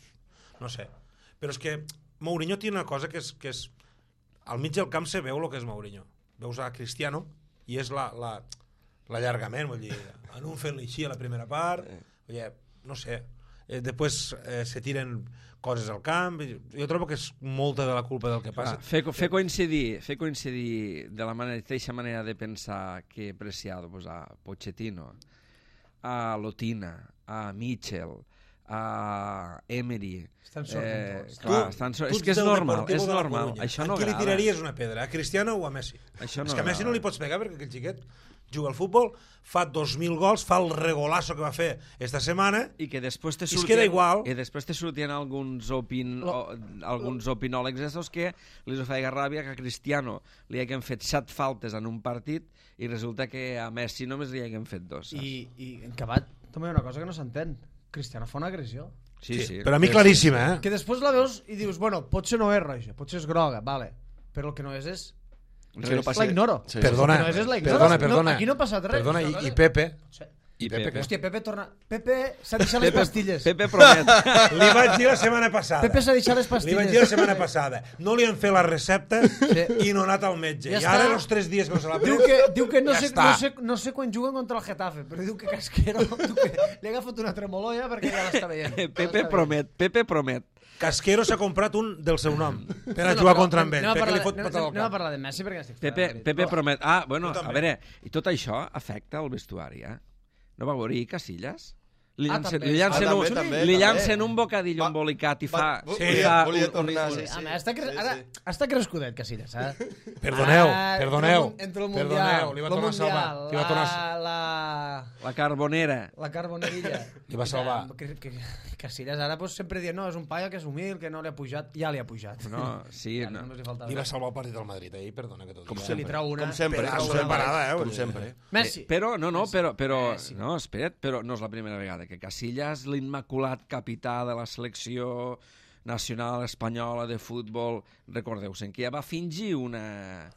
no sé. Però és que Mourinho té una cosa que és al mig del camp se veu el que és Mourinho. Veus a Cristiano i és l'allargament, vull dir, en un fent-li així a la primera part, no sé, després se tiren coses al camp, jo trobo que és molta de la culpa del que passa. Fer coincidir de la mateixa manera de pensar que Preciado, pues, a Pochettino, a Lotina, a Mitchell, a Emery... Estan sortint tots. És que és normal. Això no agrada. A qui li tiraries una pedra? A Cristiano o a Messi? És que a Messi no li pots pegar perquè aquell xiquet juga al futbol, fa 2.000 gols, fa el regolazo que va fer esta setmana i que després te surten, queda igual. I després te surten alguns opinòlegs estos que li feia ràbia que a Cristiano li haguem fet 7 faltes en un partit i resulta que a Messi només li haguem fet 2. I en acabat també hi ha una cosa que no s'entén. Cristiano fa una agressió. Sí. Però a mi claríssima, Que després la veus i dius, bueno, potser no és roja, potser és groga, vale. Però el que no és... la ignoro. Sí. Perdona. No, aquí no ha passat res. Perdona, i Pepe? Hòstia, Pepe torna... Pepe s'ha deixat les pastilles. Pepe promet. Li vaig dir la setmana passada. Pepe s'ha deixat les pastilles. Li vaig dir la setmana passada. No li han fet la recepta i no ha anat al metge. Ja I ara, els 3 dies que no se l'ha pres, diu que no ja sé quan juguen contra el Getafe, però diu que Casquero li ha agafat una tremoloia perquè ja l'està veient. Pepe promet. Casquero s'ha comprat un del seu nom per a jugar contra ell. Anem a parlar de Messi perquè estic Pepe promet. Ah, bueno, a veure, i tot això afecta el vestuari, No va veure Casillas? Li llancen un bocadillo embolicat i fa... Volia tornar, sí. Està crescudet, Casillas. Perdoneu. Entre el Mundial, li va tornar a salvar. La Carbonera. La Carbonerilla. Li va salvar. Casillas ara sempre diuen, no, és un paio que és humil, que no li ha pujat. Ja li ha pujat. No, sí. Li va salvar el partit del Madrid ahir, perdona que tot. Com sempre. Messi. Però, no, espera't, però no és la primera vegada que Casillas, l'immaculat capità de la selecció nacional espanyola de futbol, recordeu-se'n que ja va fingir una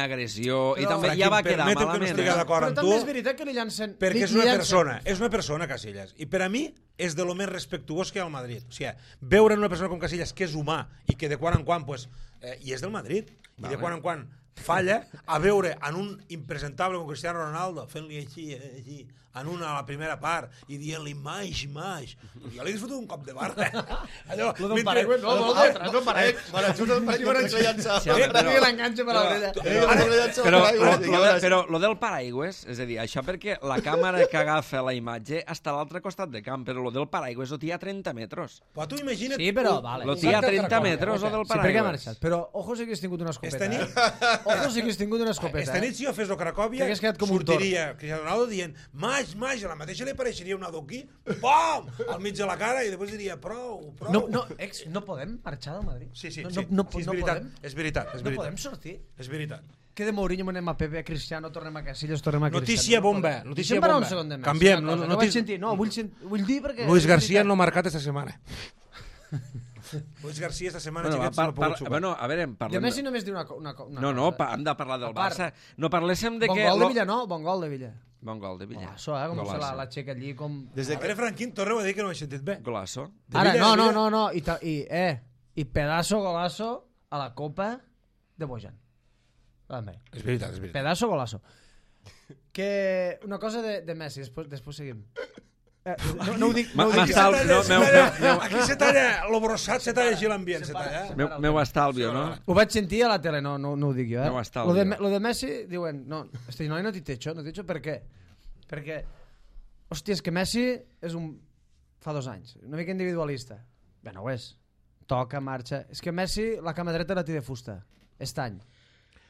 agressió i també ja va quedar malament. Però també és veritat que li llancen... Perquè és una persona, Casillas. I per a mi és de lo més respectuós que hi ha al Madrid. O sigui, veure una persona com Casillas que és humà i que de quan en quan, i és del Madrid, i de quan en quan falla, a veure en un impresentable com Cristiano Ronaldo fent-li així en una a la primera part i dient-li maix. Jo li he fotut un cop de barra. Allò d'un paraigües, no, d'un paraigües. L'enganxa per l'orella. Però lo del paraigües, és a dir, això perquè la càmera que agafa la imatge està a l'altre costat de camp, però lo del paraigües ho té a 30 metres. Però tu imagina't... Sí, però, vale. Lo té a 30 metres, lo del paraigües. Però, ojo, si hagués tingut una escopeta. Ojo si hagués tingut una escopeta. Esta nit, si jo fes el Cracòvia, sortiria Cristiano Ronaldo dient Maix, a la mateixa li apareixeria un adoquí, pom, al mig de la cara, i després diria prou. No podem marxar del Madrid? Sí, no podem. És veritat. No podem sortir? És veritat. Que de Mourinho anem a Pepe, a Cristiano, tornem a Casillas, tornem a Cristiano. Notícia bomba. Deixa'm parar un segon de més. Canviem. Vull dir perquè... Luis García no ha marcat esta setmana. Luis García esta setmana no ha pogut jugar. Bueno, a veure, parlem... De Messi només diu una No, hem de parlar del Barça. No parléssim de que... Bon gol de Villa, no? Bon gol de Villa. Bon gol de Villa. Golasso, com se la xeca allí, com... A veure, Franquín, torneu a dir que no ho he sentit bé. Golasso. Ara, no. I pedazo golasso a la Copa de Bojan. És veritat. Pedazo golasso. Que una cosa de Messi, després seguim. No ho dic... Aquí se talla, lo brossat se talla així l'ambient. Meu estalvio, no? Ho vaig sentir a la tele, no ho dic jo. Meu estalvio. Lo de Messi, diuen, no, este noi no t'hi techo per què? Perquè, hòstia, és que Messi és fa 2 anys, una mica individualista. Bé, no ho és. Toca, marxa... És que Messi la cama dreta la té de fusta. Any.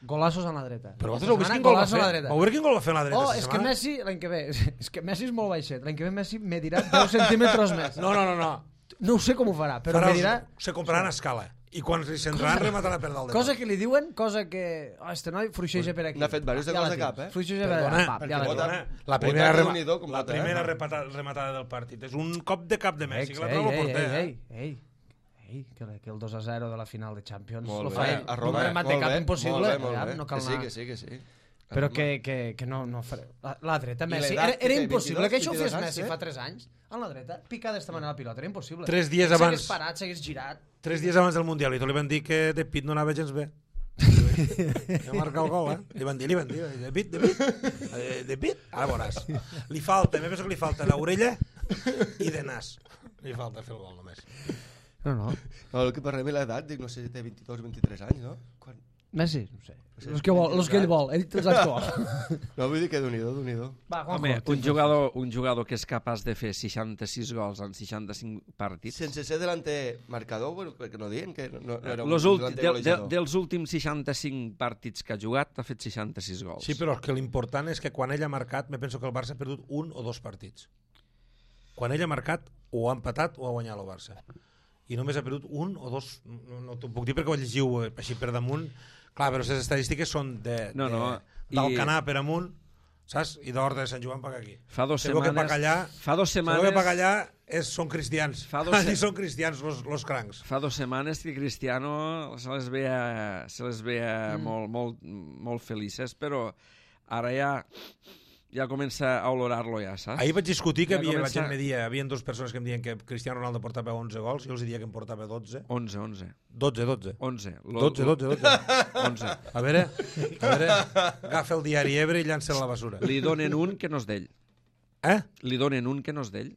Golassos a la dreta. Però vosaltres heu vist quin gol va fer? Heu vist quin gol va fer a la dreta? És que Messi, l'any que ve, és que Messi és molt baixet. L'any que ve Messi medirà 10 centímetres més. No. No ho sé com ho farà, però medirà... Se compraran a escala. I quan li centraran rematarà per dalt de cosa que li diuen, cosa que... este noi fruixeja per aquí. N'ha fet diversos de gols de cap, Fruixeja per aquí. La primera rematada del partit. És un cop de cap de Messi, que la trobo porter. Que el 2-0 de la final de Champions lo fa ell. Un remat de cap impossible. No cal anar. Que sí. Però que no... La dreta, Messi... Era impossible que això ho fes Messi fa 3 anys. A la dreta, picar d'esta manera la pilota. Era impossible. 3 dies abans... S'hagués parat, s'hagués girat. 3 dies abans del Mundial. I tot li van dir que De Pitt no anava gens bé. Ja marca el gol, Li van dir. De Pitt? Ara veuràs. Li falta, penso que li falta l'orella i de nas. Li falta fer el gol només. No. El que parlem de l'edat, dic, no sé si té 22 o 23 anys, no? Messi, no sé. Els que ell vol, ell els anys que vol. No, vull dir que d'un-hi-do. Home, un jugador que és capaç de fer 66 gols en 65 partits... Sense ser delanter marcador, bueno, perquè no diuen que no era un delanter golejador. Dels últims 65 partits que ha jugat, ha fet 66 gols. Sí, però que l'important és que quan ell ha marcat, me penso que el Barça ha perdut 1 o 2 partits. Quan ell ha marcat, o ha empatat o ha guanyat el Barça. I només ha perdut 1 o 2, no t'ho puc dir perquè ho llegiu així per damunt. Clar, però les estadístiques són d'Alcanar per amunt, saps? I d'Horta de Sant Joan per aquí. Fa 2 setmanes... Segur que Pacallà són cristians. Allí són cristians, los crancs. Fa 2 setmanes que Cristiano se les veia molt felices, però ara ja comença a olorar-lo ja, saps? Ahir vaig discutir que hi havia 2 persones que em diuen que Cristiano Ronaldo portava 11 gols, jo els diria que em portava 12. 11. 12. A veure, agafa el diari Ebre i llança a la basura. Li donen un que no és d'ell. Li donen un que no és d'ell.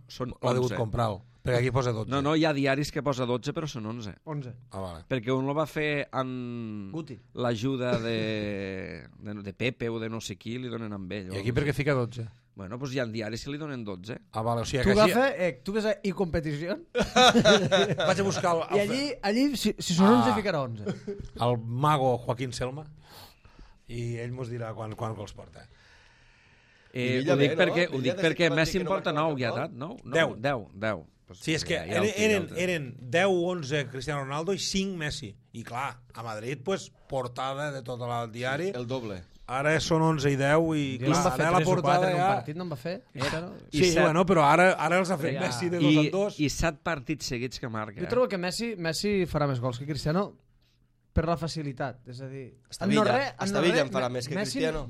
Són 11. L'ha degut comprar-lo, perquè aquí posa 12. No, hi ha diaris que posa 12, però són 11. Vale. Perquè un lo va fer amb l'ajuda de Pepe o de no sé qui, li donen amb ell. I aquí per què fica 12? Bueno, doncs hi ha diaris que li donen 12. Vale, o sigui tu agafa, tu ves a iCompetició vaig a buscar i allí si són 11 ficarà 11. El mago Joaquín Selma i ell mos dirà quan gols porta. Ho dic perquè Messi em porta 9 ja, 10. Sí, és que eren 10-11 Cristiano Ronaldo i 5 Messi. I clar, a Madrid, portada de tot el diari. El doble. Ara són 11 i 10 i clar, ara la portada ja... Un partit no en va fer? Sí, bueno, però ara els ha fet Messi de 2 en 2. I 7 partits seguits que marca. Jo trobo que Messi farà més gols que Cristiano per la facilitat. És a dir... Hasta Villa en farà més que Cristiano.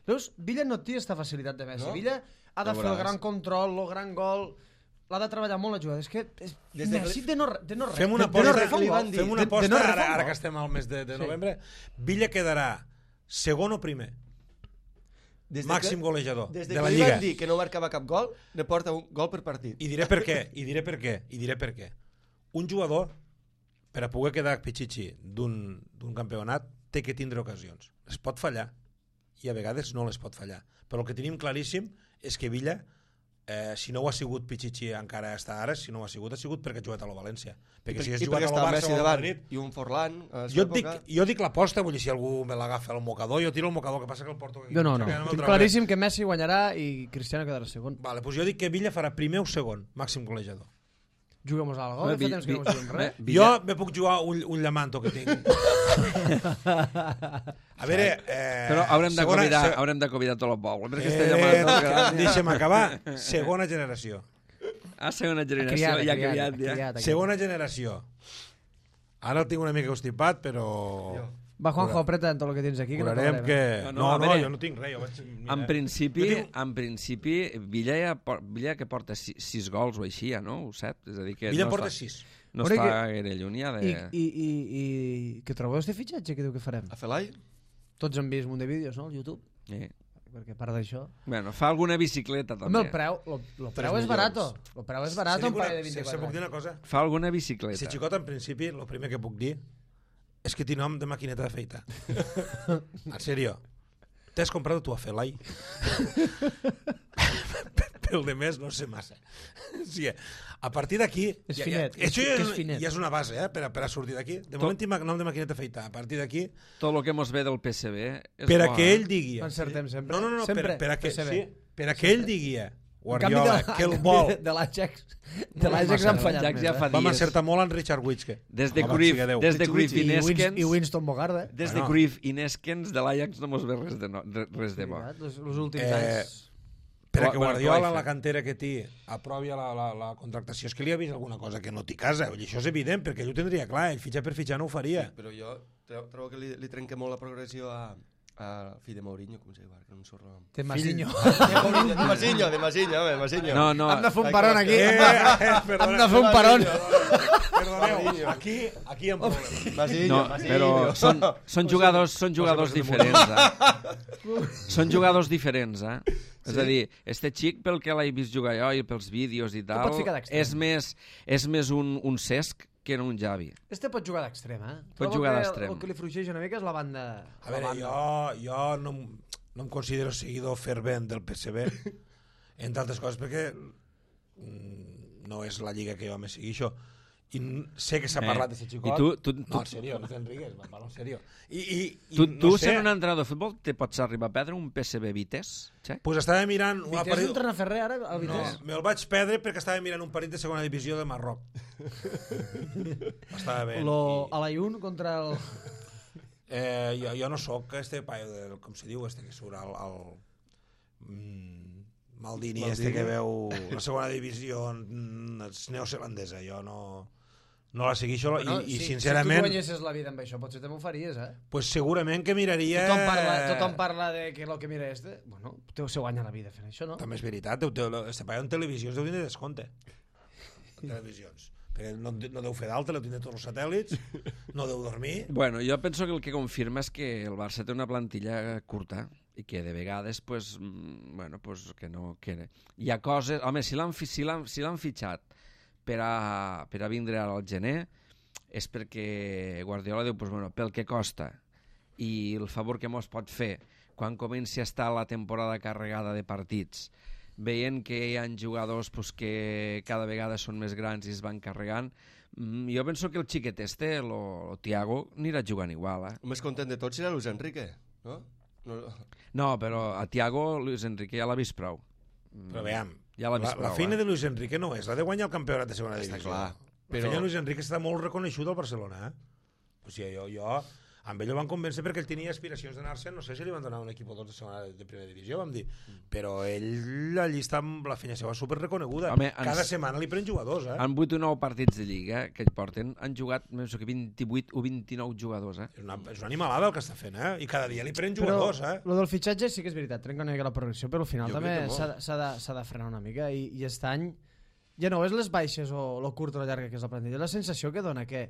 Veus, Villa no té aquesta facilitat de Messi. Villa ha de fer el gran control, el gran gol... L'ha de treballar molt la jugada. És que Messi de no res. Fem una aposta ara que estem al mes de novembre. Villa quedarà segon o primer. Màxim golejador de la Lliga. Des que li van dir que no marcava cap gol, ne porta un gol per partit. I diré per què. Un jugador, per a poder quedar pitxitxi d'un campionat, té que tindre ocasions. Es pot fallar i a vegades no les pot fallar. Però el que tenim claríssim és que Villa si no ho ha sigut Pichichi encara està ara, si no ho ha sigut perquè ha jugat a la València. Perquè si I hagués perquè jugat està al el Barça Messi o al davant Madrid... i un Forlán... Jo dic l'aposta, vull dir, si algú me l'agafa al mocador, jo tiro el mocador, que passa que el porto aquí. Jo no. Tinc claríssim que Messi guanyarà i Cristiano quedarà segon. Vale, doncs jo dic que Villa farà primer o segon, màxim golejador. Juguem-nos a algo? Fa temps que no juguem res. Jo me puc jugar un llamanto que tinc. A veure... Però haurem de convidar tot el poble, perquè este llamanto... Deixa'm acabar. Segona generació. Segona generació, ja criat. Segona generació. Ara el tinc una mica constipat, però... Va, Juanjo, apreta tot el que tens aquí. Curarem que... No, jo no tinc res. En principi, Villa que porta 6 gols o així, no? O 7, és a dir que... Villa porta 6. No està gaire lluny, ja de... I què trobeu este fitxatge que diu que farem? A Felai? Tots han vist un de vídeos, no, al YouTube? Sí. Perquè a part d'això... Bueno, fa alguna bicicleta, també. Home, el preu és barato. El preu és barato, un parell de 24 anys. Puc dir una cosa? Fa alguna bicicleta. Si xicot, en principi, el primer que puc dir és que té nom de maquineta de feita. En sèrio. T'has comprat tu a Felai? Pel de més, no sé massa. Sí, a partir d'aquí... És finet. Això ja és una base, per a sortir d'aquí. De moment tinc nom de maquineta de feita. A partir d'aquí... Tot el que mos ve del PSV és per a que ell digui... Encertem sempre. No, per a que ell digui... Guardiola, que el vol. De l'Ajax han fallat més. Vam acertar molt en Richard Witske. Des de Cruyff i Neskens... I Winston Bogarde. Des de Cruyff i Neskens de l'Ajax no mos ve res de bo. Els últims anys... Per a que Guardiola, la cantera que té, aprovi la contractació, és que li ha vist alguna cosa que no té casa. Això és evident, perquè ell ho tindria clar. Ell fitxar per fitxar no ho faria. Però jo trobo que li trenca molt la progressió a fill de Mourinho, com se diu, que no em surt el nom. De Masinho. De Masinho. No. Hem de fer un peron aquí. Hem de fer un peron. Perdoneu, aquí hi ha un problema. No, però són jugadors diferents, Són jugadors diferents, És a dir, este xic, pel que l'he vist jugar jo i pels vídeos i tal, és més un Cesc que no un Xavi. Este pot jugar d'extrem, Pot jugar d'extrem. El que li fluixeix una mica és la banda... A veure, jo no em considero seguidor fervent del PSV, entre altres coses, perquè no és la lliga que jo me sigui això. I sé que s'ha parlat d'aquest xicot. No, en sèrio, no t'enrigues, parlo en sèrio. Tu sent un entrenador de futbol, te pots arribar a perdre un PSV Vitesse? Pues estava mirant... Vitesse entrena Ferrer ara, el Vitesse? No, me'l vaig perdre perquè estava mirant un partit de segona divisió de Marroc. Estava bé. A l'Ayun contra el... Jo no soc este paio, com se diu, este que surt al... Maldini, este que veu la segona divisió neozelandesa. Jo no la seguixo i sincerament... Si tu guanyessis la vida amb això, potser també ho faries, Pues segurament que miraria... Tothom parla de que el que mira este... Bueno, se guanya la vida fent això, no? També és veritat, este paio en televisions deu tindre descompte. En televisions. Perquè no deu fer d'alta, deu tindre tots els satèl·lits, no deu dormir... Bueno, jo penso que el que confirma és que el Barça té una plantilla curta i que de vegades, pues que no... Hi ha coses... Home, si l'han fitxat per a vindre al gener és perquè Guardiola diu, pel que costa i el favor que mos pot fer quan comenci a estar la temporada carregada de partits, veient que hi ha jugadors que cada vegada són més grans i es van carregant, jo penso que el xiquet este, el Thiago, anirà jugant igual. El més content de tots serà Luis Enrique, no? No, però a Thiago, Luis Enrique ja l'ha vist prou. Però veiem, ja la feina de Luis Enrique no és la de guanyar el campionat de segona divisió. Està clar. La feina de Luis Enrique està molt reconegut al Barcelona. O sigui, jo amb ell ho van convèncer perquè ell tenia aspiracions d'anar-se, no sé si li van donar un equip o dos de segona de primera divisió, vam dir, però ell allí està amb la feina seva superreconeguda. Cada setmana li pren jugadors. En 8 o 9 partits de Lliga que ell porten han jugat més que 28 o 29 jugadors. És una animalada el que està fent, i cada dia li pren jugadors. Però el del fitxatge sí que és veritat, trenca una mica la progressió, però al final també s'ha de frenar una mica i aquest any ja no és les baixes o lo curt o lo llarga que és la plantilla, la sensació que dona que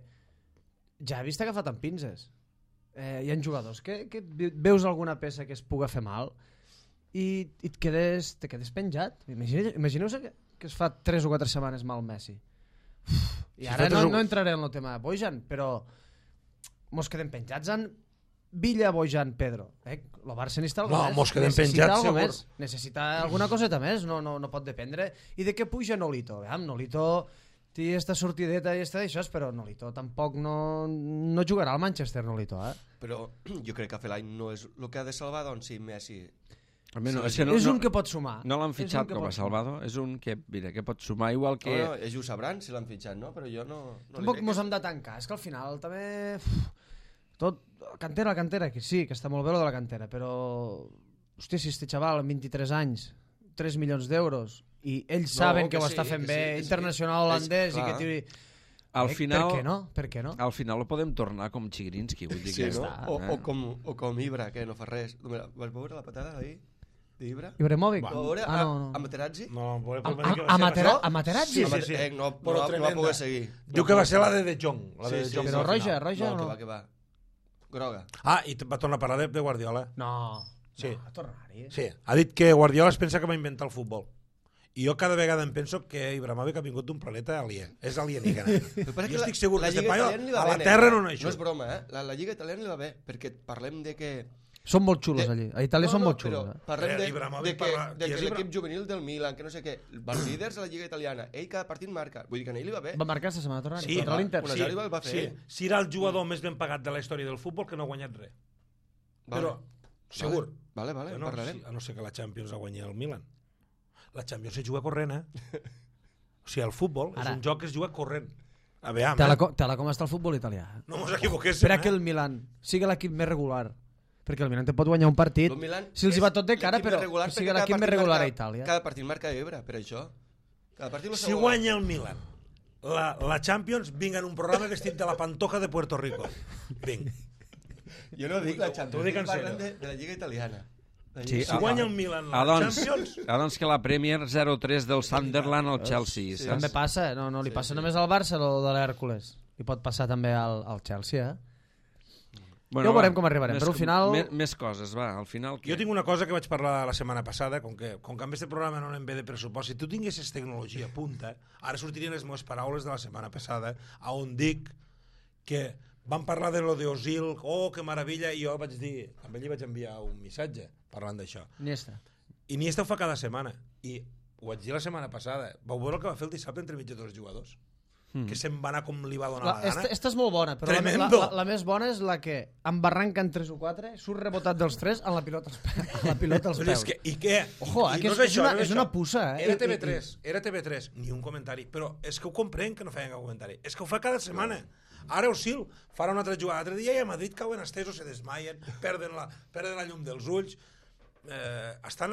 Xavi està agafat amb pinces. Hi ha jugadors que veus alguna peça que es puga fer mal i te quedes penjat. Imagineu-se que es fa 3 o 4 setmanes mal Messi. I ara no entraré en el tema de Bojan, però mos quedem penjats en Villa, Bojan, Pedro. El Barça necessita alguna No, més. mos quedem penjats, segur. Més. Necessita alguna coseta més, no pot dependre. I de què puja Nolito? Nolito té esta sortideta i esta d'això, però Nolito tampoc no jugarà al Manchester, Nolito. Però jo crec que Fellaini no és el que ha de salvar, doncs sí, Messi... És un que pot sumar. No l'han fitxat com a Salvador, és un que, mira, que pot sumar igual que... No, ells ho sabran si l'han fitxat, no? Però jo no tampoc mos hem de tancar, és que al final també... Tot, la cantera, que sí, que està molt bé lo de la cantera, però... Hòstia, si este xaval amb 23 anys, 3 milions d'euros, i ells saben que ho està fent bé, internacional holandès, i que tiri... Al final, per què no? Al final ho podem tornar com Chigrinsky, vull dir que... O com Ibra, que no fa res. Vas veure la patada d'ahir? d'Ibra? Ibrahimovic? No. No. A Materazzi? No, a Materazzi? Sí. No va poder seguir. Diu que va ser la de Jong. Però roja o no? No, que va. Groga. Ah, i va tornar a parlar de Guardiola. No. Sí. Va tornar-hi. Sí, ha dit que Guardiola es pensa que va inventar el futbol. I jo cada vegada em penso que Ibrahimovic ha vingut d'un planeta aliè. És alienígena. Jo estic segur que este paio a la Terra no naixo. No és broma, La Lliga Italiana li va bé, perquè parlem de que... Són molt xulos allí. A Itàlia són molt xulos. Parlem de que l'equip juvenil del Milan, que no sé què, van líders a la Lliga Italiana. Ell cada partit marca. Vull dir que a ell li va bé. Va marcar esta setmana tornant. Sí, contra l'Inter. Sí, era el jugador més ben pagat de la història del futbol que no ha guanyat res. Però, segur. Vale, en parlarem. A no ser que la Champions ha guanyat el Milan. La Champions se juga corrent, O sigui, el futbol és un joc que es juga corrent. A veure, Tela com està el futbol italià. No mos equivoquéssim, Espera que el Milan sigui l'equip més regular. Perquè el Milan te pot guanyar un partit si els hi va tot de cara, però que sigui l'equip més regular a Itàlia. Cada partit marca Ibra, per això. Si guanya el Milan la Champions, vinga en un programa vestit de la Pantoja de Puerto Rico. Vinga. Jo no dic la Champions, t'ho dic en parlen de la Lliga Italiana. Sí, si guanya el Milan la Champions... Doncs que la Premier 0-3 del Sunderland al Chelsea. Sí. També passa, no li passa només al Barça o de l'Hèrcules. Li pot passar també al Chelsea, Bueno, ja veurem com arribarem, però al final... Més coses, va, al final... Jo tinc una cosa que vaig parlar la setmana passada, com que amb aquest programa no anem bé de pressupost, si tu tinguessis tecnologia punta, ara sortirien les meves paraules de la setmana passada, on dic que van parlar de lo d'Ozil, que meravella, i jo vaig dir, amb ell li vaig enviar un missatge parlant d'això. Iniesta ho fa cada setmana, i ho vaig dir la setmana passada, vau veure el que va fer el dissabte entre mig de dos jugadors? Que se'n va anar com li va donar la gana. Esta és molt bona, però la més bona és la que embarranquen 3 o 4, surt rebotat dels 3 amb la pilota als peus. I què? Ojo, que és una puça. Era TV3, ni un comentari. Però és que ho comprenc que no feien cap comentari. És que ho fa cada setmana. Ara Osil farà una altra jugada. L'altre dia i a Madrid cauen estesos, se desmaien, perden la llum dels ulls. Estan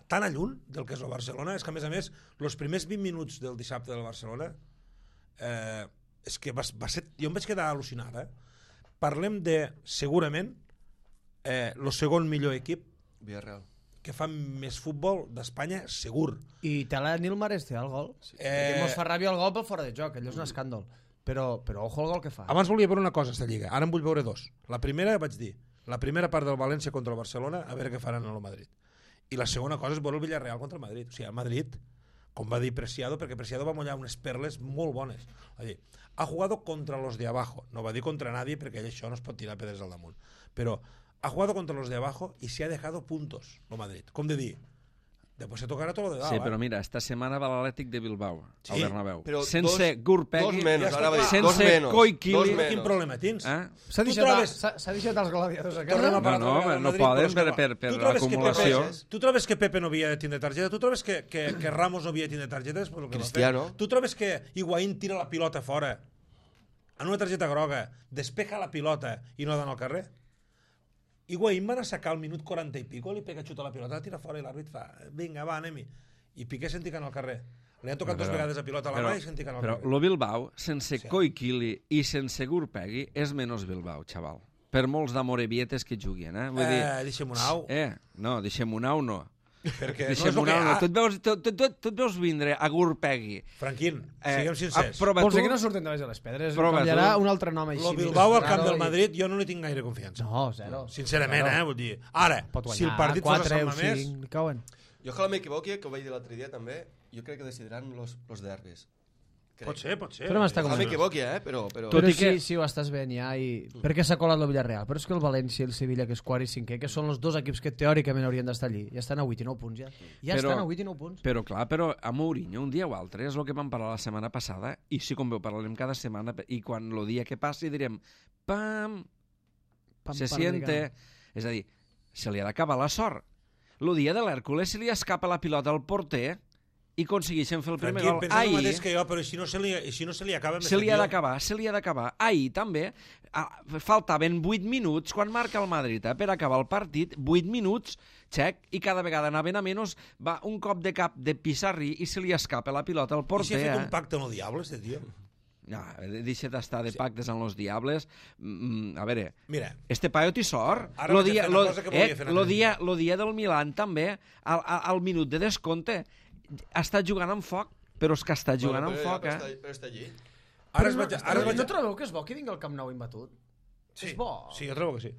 tan lluny del que és el Barcelona. És que a més, els primers 20 minuts del dissabte del Barcelona és que va ser... Jo em vaig quedar al·lucinada. Parlem de, segurament, el segon millor equip Villarreal que fa més futbol d'Espanya, segur. I Tela Nilmares té el gol. Mos fa ràbia el gol pel fora de joc, allò és un escàndol. Però ojo el gol que fa. Abans volia veure una cosa, esta lliga. Ara en vull veure dos. La primera, vaig dir, la primera part del València contra el Barcelona, a veure què faran a el Madrid. I la segona cosa és veure el Villarreal contra el Madrid. O sigui, el Madrid, com va dir Preciado, perquè Preciado va mullar unes perles molt bones. Va dir, ha jugado contra los de abajo. No va dir contra nadie, perquè això no es pot tirar pedres al damunt. Però ha jugado contra los de abajo y se ha dejado puntos, el Madrid. Com de dir, després se tocarà tot lo de dalt. Sí, però mira, esta setmana va l'Atlètic de Bilbao, al Bernabéu. Sense Gurpegui, sense Koikili. Quin problema tens? S'ha deixat els gladiadors a casa? No poden per l'acumulació. Tu trobes que Pepe no havia de tindre targeta? Tu trobes que Ramos no havia de tindre targetes? Cristiano. Tu trobes que Higuaín tira la pilota fora en una targeta groga, despeja la pilota i no dona al carrer? Higuaín van a sacar al minut 40 i pico, li pega xuta la pilota, la tira fora i l'àrbit fa, vinga, va, anem-hi. I Piqué senticant al carrer. Li han tocat 2 vegades a pilota a la mà i senticant al carrer. Però el Bilbao, sense Koikili i sense Gurpegui, és menys Bilbao, xaval. Per molts d'amorevietes que juguin, Vull dir... Deixem un au. No, deixem un au no. Perquè deixem un au no. Tu et veus vindre a Gurpegui. Franquín, siguem sincers. Vols dir que no surten de baix de les pedres? Canviarà un altre nom així. El Bilbao al camp del Madrid jo no li tinc gaire confiança. No, zero. Sincerament, vull dir. Ara, si el partit fos a Sant Mamés... Jo que m'equivoqui, que ho vaig dir l'altre dia també, jo crec que decidiran los derbis. Pot ser. Però m'està No convençut. m'equivoqui, però... Tot i que- sí, ho estàs veient ja. Perquè s'ha colat el Villarreal. Però és que el València i el Sevilla, que és quart i cinquè, que són els dos equips que teòricament haurien d'estar allí, ja estan a 8 i 9 punts. Ja estan a 8 i 9 punts. Però clar, a Mourinho, un dia o altre, és el que vam parlar la setmana passada, i sí, com veu, parlarem cada setmana, i quan el dia que passi direm, pam, se siente... És a dir, se li ha d'acabar la sort. El dia de l'Hèrcules se li escapa la pilota al porter i aconsegueixen fer el primer gol. Pensa el mateix que jo, però si no se li acaba... Se li ha d'acabar. Ahir també faltaven 8 minuts quan marca el Madrid per acabar el partit, 8 minuts, xec, i cada vegada anaven a menys, va un cop de cap de Pissarrí i se li escapa la pilota al porter. I si ha fet un pacte amb el diable, este tio? No, deixa d'estar de pactes amb los diables. A veure, mira, este paio té sort. Ara vaig a fer una cosa que volia fer Lo dia del Milan també, al minut de descompte, està jugant amb foc, però és que està jugant amb foc, Però està allí. No trobeu que és bo que vingui al Camp Nou imbatut? És bo. Sí, jo trobo que sí.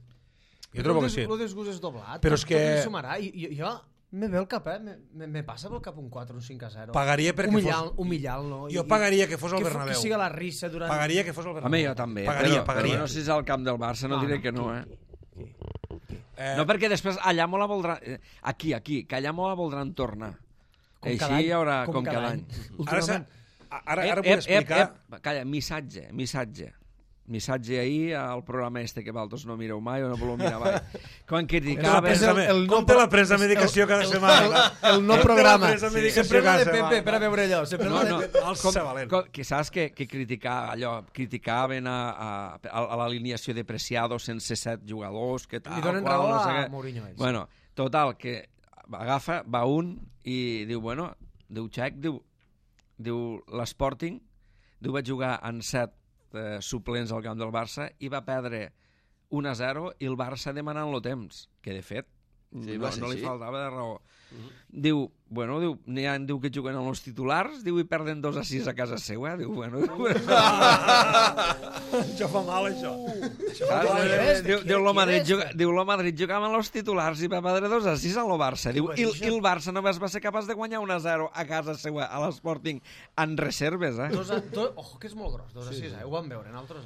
Jo trobo que sí. El desgust és doblat. Però és que... Tot li sumarà. I jo me ve el cap, me passa pel cap un 4, un 5-0. Pagaria perquè Humillant-lo. Jo pagaria que fos al Bernabéu. Que siga la rissa durant... Pagaria que fos al Bernabéu. Home, jo també. Pagaria. Però no sé si és al camp del Barça, no diré que no, No, perquè després allà molt la voldran... Aquí, que allà molt la voldran tornar. Així hi haurà com cada any. Ara vull explicar... Calla, missatge ahir al programa este que vosaltres no mireu mai o no voleu mirar mai. Quan criticaven... Com té la presa medicació cada setmana? El no programa. Sempre va de Pepe per a veure allò. Saps que criticaven a l'alineació de Preciado sense 7 jugadors, que tal... Li donen raó a Mourinho. Bueno, total, que agafa, va un i diu, diu Xec, diu l'Sporting, diu vaig jugar en 7 suplents al camp del Barça i va perdre 1-0 i el Barça demanant-lo temps, que de fet no li faltava de raó. Diu, diu que juguen amb els titulars, diu, i perden 2-6 a casa seva, diu, Això fa mal, això. Diu, el Madrid jugava amb els titulars i va perdre 2-6 a lo Barça. Diu, i el Barça només va ser capaç de guanyar 1-0 a casa seva, a l'Sporting, en reserves, Ojo, que és molt gros, 2-6, ho vam veure, nosaltres.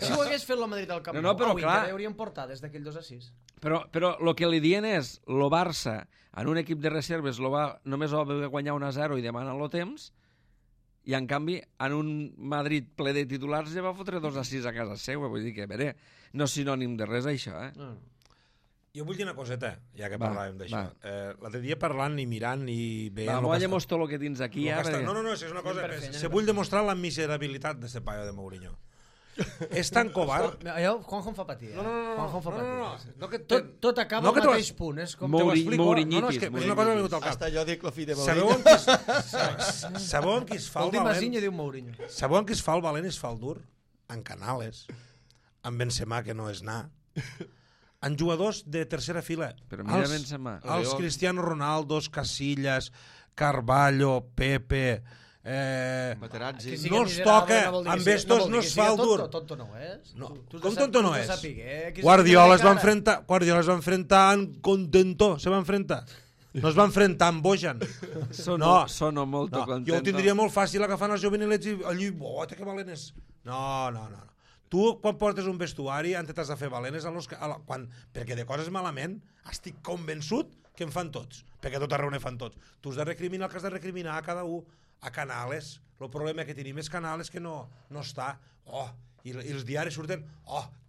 Si ho hagués fet el Madrid al Camp Nou, avui encara hauríem portat des d'aquell 2-6. Però el que li dient és, el Barça, en un equip de reserves, només va guanyar 1-0 i demana-lo temps, i en canvi, en un Madrid ple de titulars ja va fotre 2-6 a casa seva. Vull dir que, no és sinònim de res, això, Jo vull dir una coseta, ja que parlàvem d'això. L'altre dia parlant i mirant i veient... Molla-mos tot el que tens aquí, No, és una cosa... Se vull demostrar la miserabilitat d'aquest paio de Mourinho. És tan covard... Juanjo em fa patir. No. Tot acaba al mateix punt. És com Mouriñitis. És una cosa que m'ha vingut al cap. Hasta jo dic lo fi de Mourinho. Sabeu en qui es fa el valent? Diu Mourinho. Sabeu en qui es fa el valent i es fa el dur? En Canales. En Benzema, que no és anar. En jugadors de tercera fila. Però mira Benzema. Els Cristiano Ronaldo, Casillas, Carvalho, Pepe... Materazzi. No els toca, amb estos no es fa el dur. Tonto no és. Com tonto no és? Guardiola es va enfrentar amb Contento, se va enfrentar. No es va enfrentar amb Bojan. Sono molto contento. Jo ho tindria molt fàcil agafant els jovenilets i allí, que valent és. No. Tu, quan portes un vestuari, antes t'has de fer valent, perquè de coses malament estic convençut que en fan tots, perquè tot arreu ne fan tots. Tu has de recriminar el que has de recriminar a cada un. A Canales, el problema que tenim és Canales que no està, i els diaris surten,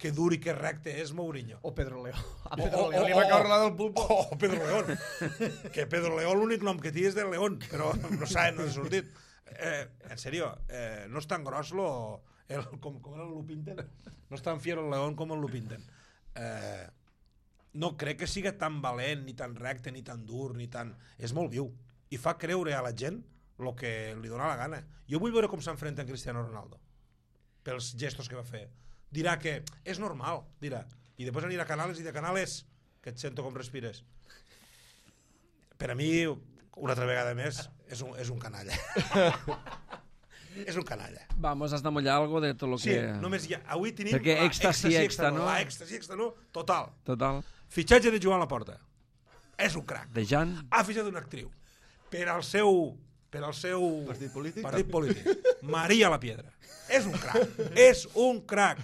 que dur i que recte és Mourinho. O Pedro León. A Pedro León li va caure la del pulpo. Pedro León. Que Pedro León l'únic nom que té és de León, però no s'ha sortit. En sèrio, no és tan gros com era el Lupinten. No és tan fiero el León com el Lupinten. No crec que siga tan valent, ni tan recte, ni tan dur, ni tan... És molt viu. I fa creure a la gent el que li dona la gana. Jo vull veure com s'enfrenta en Cristiano Ronaldo pels gestos que va fer. Dirà que és normal, dirà. I després anirà a Canales i de Canales, que et sento com respires. Per a mi, una altra vegada més, és un canalla. És un canalla. Vamos, has de mullar algo de tot el que... Sí, només ja. Avui tenim èxtasi extra, no? Èxtasi extra, no? Total. Fitxatge de Joan Laporta. És un crac. De Jan. Ha fitxat una actriu. Per al seu per al seu Partit polític. Maria La Piedra. És un crac. És un crac.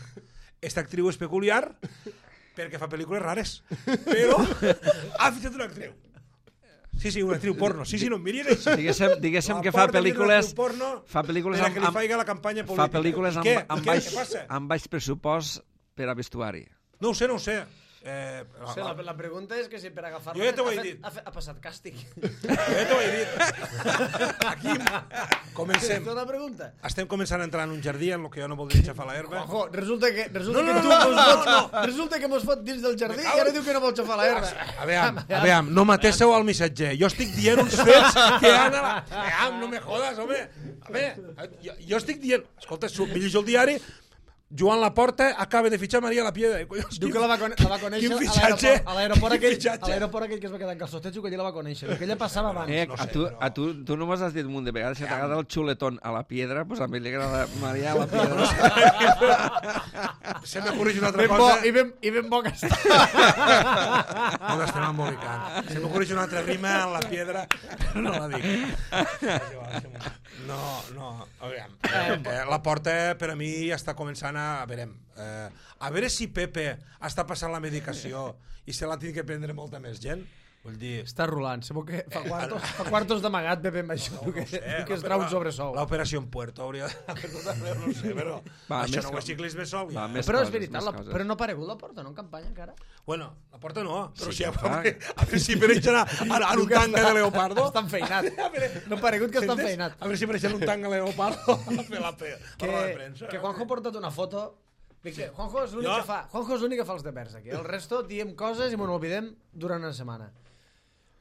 Esta actriu és peculiar perquè fa pel·lícules rares. Però ha fitxat una actriu. Sí, una actriu porno. Sí, no em miris així. Diguéssim que fa pel·lícules... Fa pel·lícules per a que li faiga la campanya política. Fa pel·lícules què? amb baix pressupost per a vestuari. No ho sé. La pregunta és que si per agafar-la jo ja t'ho he dit. Ha passat càstig. Jo ja t'ho he dit. Aquí comencem. Una pregunta. Estem començant a entrar en un jardí en el que jo no voldria xafar l'herba. Ojo, resulta que resulta que mos fot dins del jardí i ara diu que no vol xafar l'herba. Aviam, no matéssim al missatger. Jo estic dient uns fets que han... Aviam, no me jodes, home. A veure, jo estic dient... Escolta, llegeixo el diari... Joan Laporta acaba de fitxar Maria La Piedra. Diu que la va conèixer a l'aeroport aquell que es va quedar en calçotets, que allà la va conèixer. Que ella passava abans. Tu només has dit un munt de vegades que t'agrada el xuletón a La Piedra, doncs a mi li agrada Maria La Piedra. Se m'ocorreix una altra cosa. I ben bo que està. No l'estem embolicant. Se m'ocorreix una altra rima en La Piedra, però no la dic. No. La Porta per a mi ja està començant a veure si Pepe està passant la medicació i se l'ha tingut que prendre molta més gent. Vull dir... Està rolant, sembla que fa quartos d'amagat Pepe amb això, que es trau un sobresou. L'operació en Puerto hauria de tot arreu, no sé, però això no ho és ciclisme sol. Però és veritat, però no ha aparegut la Porta, no, en campanya encara? Bueno, la Porta no, però sí, a veure si apareixen en un tanga de leopardo. Està enfeinat. No ha aparegut que està enfeinat. A veure si apareixen un tanga de leopardo a fer la roda de premsa. Que Juanjo ha portat una foto... Juanjo és l'únic que fa els devers aquí. El resto diem coses i m'ho oblidem durant una setmana.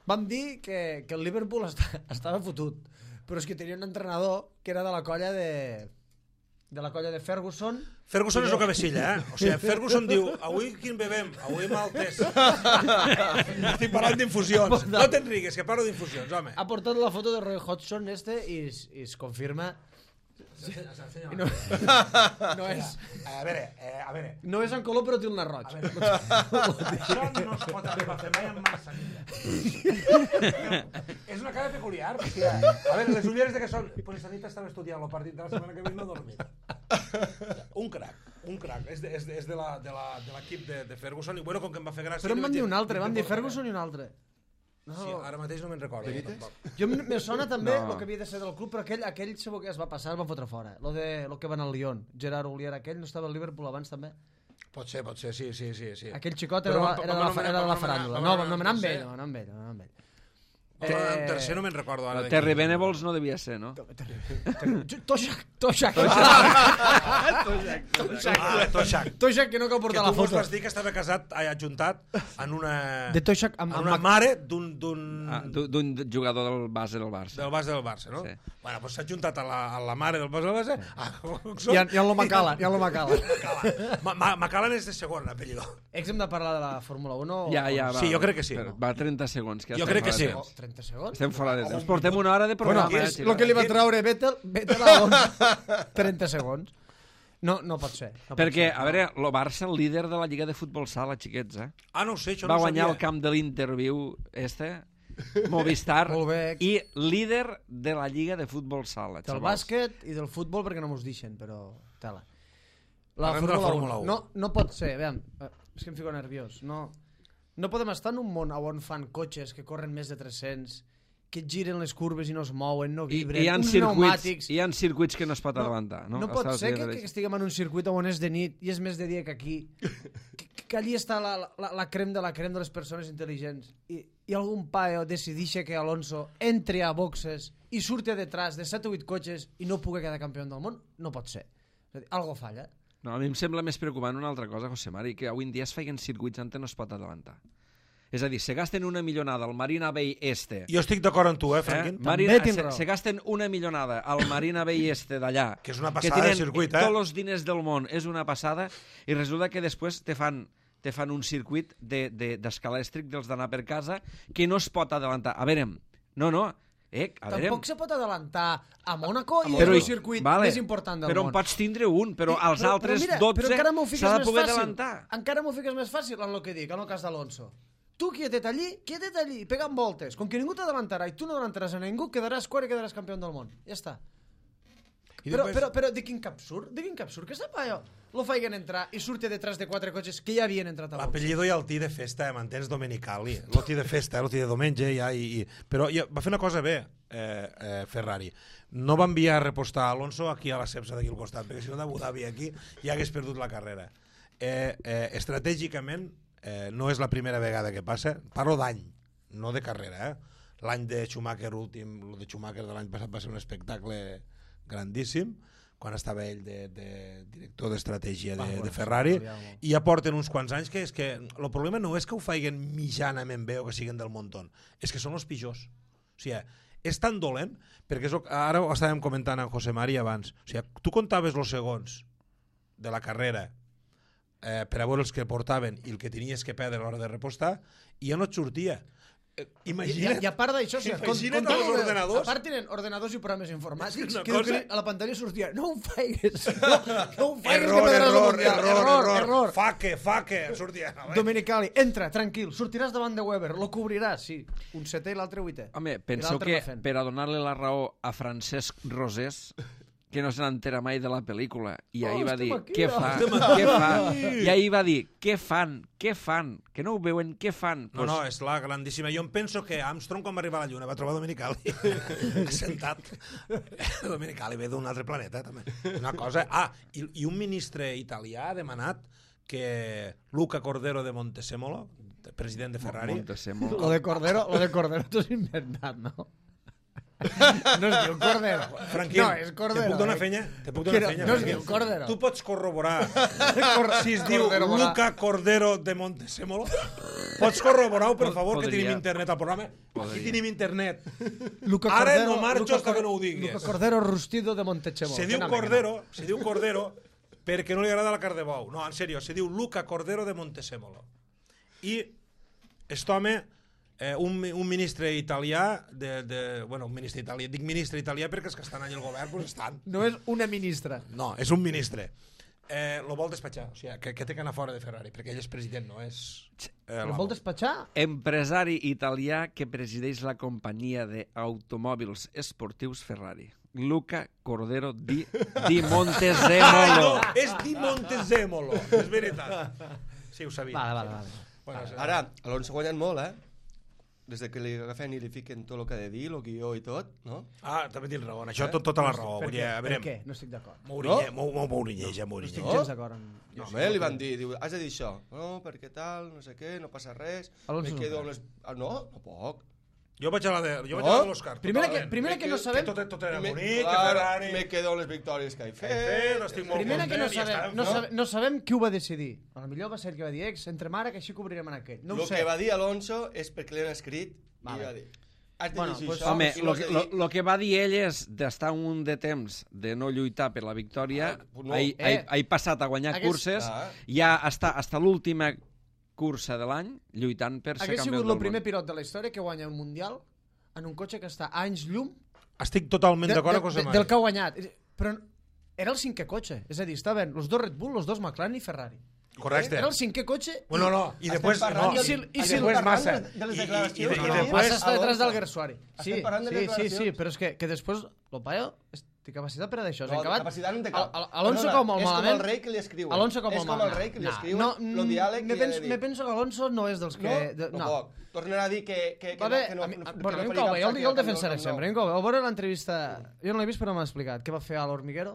Vam dir que el Liverpool estava fotut, però és que tenia un entrenador que era de la colla de Ferguson. Ferguson és el cabecilla, O sigui, Ferguson diu, avui quin bebem? Avui maltes. Estic parlant d'infusions. No t'enrigues, que parlo d'infusions, home. Ha portat la foto de Roy Hodgson i es confirma... No és... A veure... No és en color, però té un nar roig. Això no es pot arribar a fer mai amb massanilla. És una cara peculiar. A veure, les ulleres de què són? Pues esta nit estava estudiant el partit de la setmana que ve i no he dormit. Un crac. És de l'equip de Ferguson i bueno, com que em va fer gràcia... Però em van dir un altre, van dir Ferguson i un altre. No. Sí, ara mateix no me'n recordo. Jo me sona també el que havia de ser del club, però aquell segur que es va passar, el van fotre fora. Lo que van al Lyon. Gerard Houllier, aquell no estava al Liverpool abans també? Pot ser, sí. Aquell xicot era de la faràndula. No, vam anar amb ell. En tercer no me'n recordo ara. Terry Venables no devia ser, no? Toshak, que no cal portar la foto. Que tu vas dir que estava casat, adjuntat en una... De Toshak amb una mare d'un jugador del base del Barça. Del base del Barça, no? Sí. Bueno, doncs s'ha adjuntat a la mare del base del Barça. I en lo Macala. Macallan és de segon, l'apellido. Hem de parlar de la Fórmula 1? Ja, va. Sí, jo crec que sí. Va 30 segons. Jo crec que sí. 30 segons? Estem fora de temps. Portem una hora de programa. Bueno, és el que li va treure Vettel a 30 segons. No pot ser. Perquè, a veure, el Barça, el líder de la Lliga de Futbol Sala, xiquets, no ho sé, això no ho sabia. Va guanyar el camp de l'Interviu, Movistar, i líder de la Lliga de Futbol Sala. Del bàsquet i del futbol, perquè no mos deixen, però tela. La Fórmula 1. No pot ser, veiem, és que em fico nerviós. No podem estar en un món on fan cotxes que corren més de 300, que giren les curves i no es mouen, no vibren, uns pneumàtics... Hi ha circuits que no es pot adelantar. No pot ser que estiguem en un circuit on és de nit i és més de dia que aquí, que allí està la crem de les persones intel·ligents i algun paio decideix que Alonso entri a boxes i surti a detrás de 7 o 8 cotxes i no pugui quedar campió del món. No pot ser. Algo falla. No, a mi em sembla més preocupant una altra cosa, José Mari, que avui en dia es feien circuits on no es pot adelantar. És a dir, se gasten una millonada al Marina Bay Este. Jo estic d'acord amb tu, Franquín. Se gasten una millonada al Marina Bay Este d'allà. Que és una passada de circuit, tots els diners del món, és una passada, i resulta que després te fan un circuit d'escalèstric dels d'anar per casa que no es pot adelantar. A veure, tampoc se pot adelantar a Mónaco i és el circuit més important del món. Però en pots tindre un, però als altres 12 s'ha de poder adelantar. Encara m'ho fiques més fàcil en el que dic, en el cas d'Alonso. tu quietet allí, pegant voltes. Com que ningú t'adavantarà i tu no adelantaràs a ningú, quedaràs quart i quedaràs campió del món. Ja està. Però de quin cap surt? Que sap allò? Lo feien entrar i surti detrás de 4 cotxes que ja havien entrat a box. L'apellido i el tí de festa, m'entens, Domenicali. El tí de festa, el tí de diumenge, ja, però va fer una cosa bé, Ferrari. No va enviar a repostar Alonso aquí a la Cepsa d'aquí al costat, perquè si no d'Abu Dhabi aquí ja hagués perdut la carrera. Estratègicament, no és la primera vegada que passa, parlo d'any, no de carrera. L'any de Schumacher últim, el de Schumacher de l'any passat va ser un espectacle grandíssim, quan estava ell de director d'estratègia de Ferrari, i ja porten uns quants anys que és que el problema no és que ho feien mitjanament bé o que siguin del muntó, és que són els pitjors. O sigui, és tan dolent, perquè ara ho estàvem comentant amb José Mari abans, o sigui, tu comptaves els segons de la carrera per a veure els que portaven i el que tenies que perdre a l'hora de repostar, i ja no et sortia. Imagina't. I a part d'això, Imagina't els ordenadors. A part tenen ordenadors i programes informàtics que a la pantalla sortia no ho feigues, no ho feigues, error. Faque, sortia. Domenicali, entra, tranquil, sortiràs davant de Weber, lo cobriràs, sí, un setè i l'altre vuitè. Home, penseu que per a donar-li la raó a Francesc Rosés, que no se n'entera mai de la pel·lícula, i ahir va dir, què fa? I ahir va dir, què fan? Que no ho veuen, què fan? No, és la grandíssima. Jo em penso que Armstrong, quan va arribar a la Lluna, va trobar Domenicali assentat. Domenicali ve d'un altre planeta, també. Una cosa... I un ministre italià ha demanat que Luca Cordero de Montezemolo, president de Ferrari... Lo de Cordero t'ho has inventat, no? No es diu Cordero. Franquín, no, és Cordero. Te puc donar fenya? No es diu Cordero. Tu pots corroborar si es diu Luca Cordero de Montezemolo. Pots corroborar-ho, per favor, que tenim internet al programa? Aquí tenim internet. Ara no marxo hasta que no ho diguis. Luca Cordero Rustido de Montezemolo. Se diu Cordero perquè no li agrada la carn de bou. No, en sèrio, se diu Luca Cordero de Montezemolo. I aquest home... un ministre italià bueno, un ministre italià, dic ministre italià perquè els que estan allà al govern doncs estan. No és una ministra. No, és un ministre. Lo vol despatxar, o sigui, que té que anar fora de Ferrari, perquè ell és president, no és... Lo vol despatxar? Empresari italià que presideix la companyia d'automòbils esportius Ferrari. Luca Cordero di Montezemolo. No, és di Montezemolo, és veritat. Sí, ho sabia. Vale. Bueno, ara, Alonso ha guanyat molt, des de que li agafen i li fiquen tot el que ha de dir, el guió i tot, no? També tens raó, això tota la raó. Per què? No estic d'acord. Mourinyeja. No estic gens d'acord. No, li van dir, has de dir això. No, perquè tal, no sé què, no passa res. Me quedo amb les... No puc. Jo vaig a la de l'Òscar. Primera que no sabem... Que tot era bonic, que Ferrari... Me quedo amb les victòries que he fet. Primera que no sabem qui ho va decidir. Potser va ser el que va dir entre mare, que així cobrirem en aquell. El que va dir Alonso és perquè l'han escrit i va dir... Home, el que va dir ell és d'estar un de temps de no lluitar per la victòria, he passat a guanyar curses, ja està l'última cursa de l'any lluitant per ser campió del món. Hagués sigut el primer pilot de la història que guanya un mundial en un cotxe que està a anys llum. Estic totalment d'acord amb José Mari. Del que ha guanyat. Però era el 5è cotxe, és a dir, estaven els 2 Red Bull, els 2 McLaren i Ferrari. Correcte. Era el 5è cotxe. Bueno, no, i després Massa. I Massa està detrás del Gersuari. Sí, però és que després el paio té capacitat per a d'això. Capacitat no té cap. Alonso com molt malament. És com el rei que li escriuen. Alonso com molt malament. És com el rei que li escriuen el diàleg que li ha de dir. Me penso que Alonso no és dels que... No. Tornarà a dir que no... Bueno, jo el defensaré sempre. A veure l'entrevista... Jo no l'he vist però m'ha explicat. Què va fer a l'Hormiguero?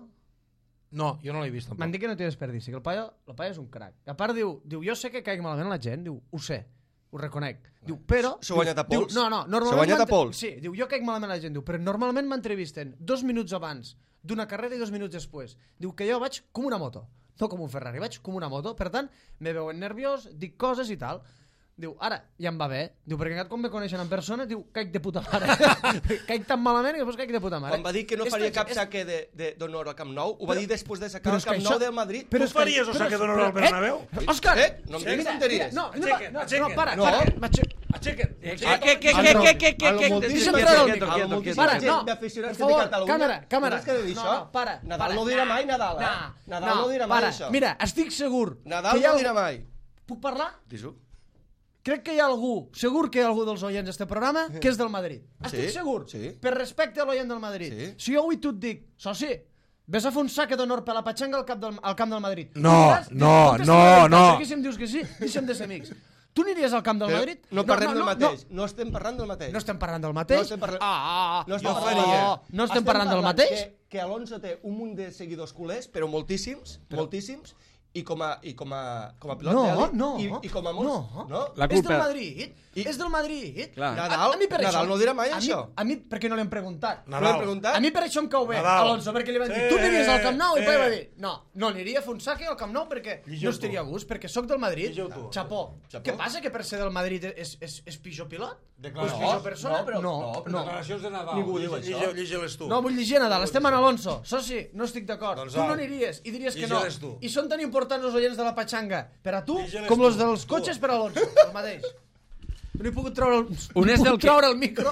No, jo no l'he vist tampoc. M'han dit que no té desperdici, que el paio és un crac. A part diu, jo sé que caic malament la gent, diu, ho sé, ho reconec. Diu, però... S'ha guanyat a pols? No, normalment... S'ha guanyat a pols? Sí, diu, jo caic malament la gent, diu, però normalment m'entrevisten 2 minuts abans d'una carrera i 2 minuts després. Diu que jo vaig com una moto, no com un Ferrari, vaig com una moto, per tant, me veuen nerviós, dic coses i tal. Diu, ara, ja em va bé. Diu, perquè quan me coneixen en persona, diu, caic de puta mare. Caic tan malament i després caic de puta mare. Quan va dir que no faria cap saque d'honor al Camp Nou, ho va dir després de sacar el Camp Nou del Madrid. Tu faries el saque d'honor al Bernabéu? Òscar! No em diguis tonteries. No, para. Aixeca't. Deixa'm treure el micro. Para, no. Per favor, càmera. No, para. Nadal no dirà mai Nadal, Nadal no dirà mai això. Mira, estic segur. Nadal no dirà mai. Puc parlar? Dis-ho. crec que hi ha algú, segur que hi ha algú dels oients d'este programa que és del Madrid. Estic segur, per respecte a l'oient del Madrid. Si jo avui tu et dic, soci, ves a fer un saque d'honor per la patxanga al camp del Madrid. No. Perquè si em dius que sí, deixa'm de ser amics. Tu aniries al camp del Madrid? No parlem del mateix. No estem parlant del mateix. No estem parlant del mateix? No estem parlant del mateix? Que Alonso té un munt de seguidors culers, però moltíssims, i com a pilot d'elit i com a molts... No, és del Madrid. És del Madrid. Nadal no dirà mai això. A mi, per què no l'hem preguntat? A mi per això em cau bé, Alonso, perquè li van dir, tu aniries al Camp Nou, i poi va dir, no aniria a fer un saque al Camp Nou perquè no estaria a gust, perquè sóc del Madrid. Xapó. Què passa, que per ser del Madrid és pitjor pilot? És pitjor persona? No. Declaracions de Nadal. Ningú diu això. Llegi-les tu. No, vull llegir a Nadal. Estem en Alonso. Soci, no estic d'acord. Tu no aniries i diries que no. I són tan importants els oients de la patxanga per a tu com els dels cotxes per a Alonso. El mateix. No he pogut treure el micro.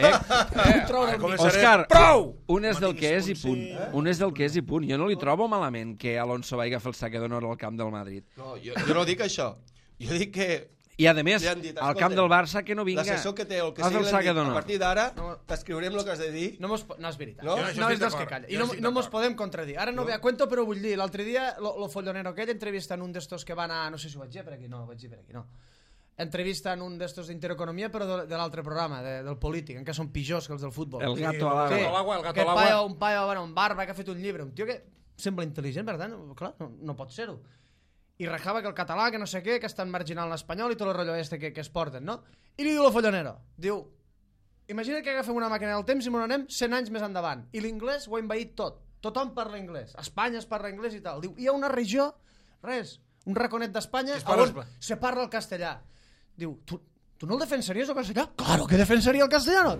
Òscar, prou! Un és del que és i punt. Un és del que és i punt. Jo no li trobo malament que Alonso vagi a fer el saque d'honor al camp del Madrid. No, jo no dic això. Jo dic que... I a més, al camp del Barça que no vinga. L'assessor que té o el que sigui l'han dit, a partir d'ara t'escriurem el que has de dir. No és veritat. No és dels que calla. I no mos podem contradir. Ara no ve a cuento, però vull dir, l'altre dia lo follonero aquest entrevista en un d'estos que van a... No sé si ho vaig dir per aquí, no. Entrevista en un d'estos d'Intereconomia, però de l'altre programa, del polític, en què són pitjors que els del futbol. El gato a l'agua. Un paio amb barba que ha fet un llibre, un tio que sembla intel·ligent, per tant, clar, no pot ser-ho. I rajava que el català, que no sé què, que estan marginant l'espanyol i tot el rotllo este que es porten, no? I li diu el follonero, diu, imagina't que agafem una màquina del temps i me n'anem 100 anys més endavant, i l'inglès ho ha envaït tot, tothom parla anglès, a Espanya es parla anglès i tal. Diu, hi ha una regió, un raconet d'Espanya on se parla el castellà. Diu, tu no el defensaries el castellà? Claro que defensaria el castellà!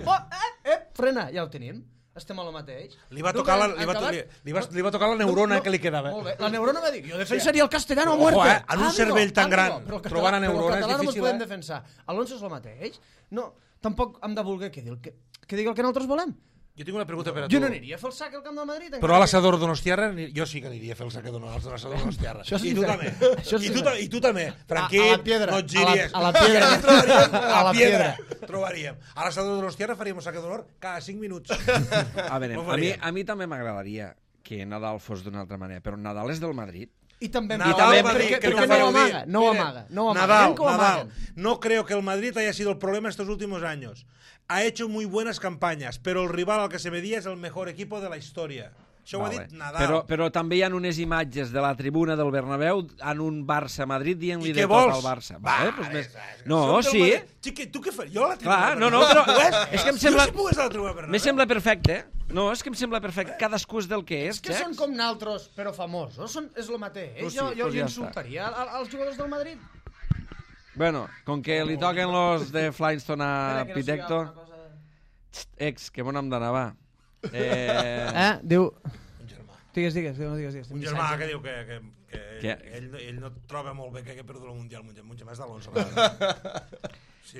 Frena, ja el tenim. Estem a lo mateix. Li va tocar la neurona que li quedava. Molt bé. La neurona va dir, jo defensaria el castellano a muerte. En un cervell tan gran, trobar la neurona és difícil. Però el català no ens podem defensar. Alonso és el mateix. No, tampoc hem de voler que digui el que nosaltres volem. Jo tinc una pregunta per a tu. Jo no aniria a fer el sac al camp del Madrid. Però a l'assador Donostiarra, jo sí que aniria a fer el sac a l'assador Donostiarra. I tu també. I tu també. Franquit, no et giries. A la piedra. A la piedra. Trobaríem. A l'assador Donostiarra faríem un sac d'honor cada 5 minuts. A veure, a mi també m'agradaria que Nadal fos d'una altra manera, però Nadal és del Madrid. Y también porque no amaga. Nadal, no creo que el Madrid haya sido el problema estos últimos años. Ha hecho muy buenas campañas, pero el rival al que se medía es el mejor equipo de la historia. Això ho ha dit Nadal. Però també hi ha unes imatges de la tribuna del Bernabéu en un Barça-Madrid dient-li de tot al Barça. No, sí. Tu què fas? Jo a la tribuna del Bernabéu. Clar, però és que em sembla... Jo si pogués a la tribuna del Bernabéu. Me sembla perfecte. No, és que em sembla perfecte. Cadascú és del que és. És que són com naltros, però famosos. És el mateix. Jo li insultaria als jugadors del Madrid. Bueno, com que li toquen los de Flintstone a Pitecto... Ex, que bon hem d'anar, va. Diu... Un germà. Digues. Un germà que diu que ell no troba molt bé que hagi perdut el Mundial. Un germà és d'Alonso.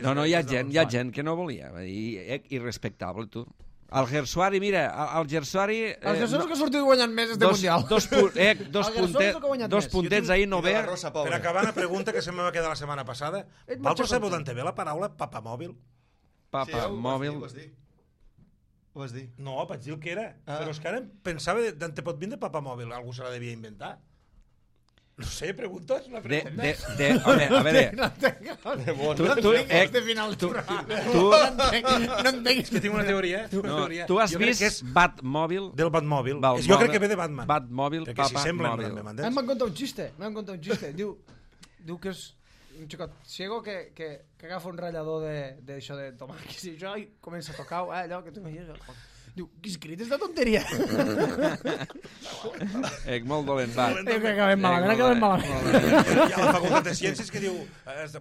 No, hi ha gent que no volia. Irrespectable, tu. El Gersuari, mira, el Gersuari... El Gersuari que ha sortit guanyant més este Mundial. Dos puntets ahir no ve. Per acabar, una pregunta que se me va quedar la setmana passada. Vosaltres sabeu d'on té bé la paraula papamòbil? Papamòbil. Ho vas dir? No, vaig dir el que era. Però és que ara pensava d'on te pot vindre papamòbil. Algú se la devia inventar. No sé, preguntes? A veure... No entenc. Que tinc una teoria. Tu has vist Batmòbil? Del Batmòbil. Jo crec que ve de Batman. Batmòbil, papamòbil. Em van contar un xiste. Diu que és un xicot ciego que agafa un ratllador d'això de tomàquets i això i comença a tocar allò que tu imagines. Diu, que escrit és de tonteria. Molt dolent, va. Que acabem malament. Hi ha la facultat de ciències que diu,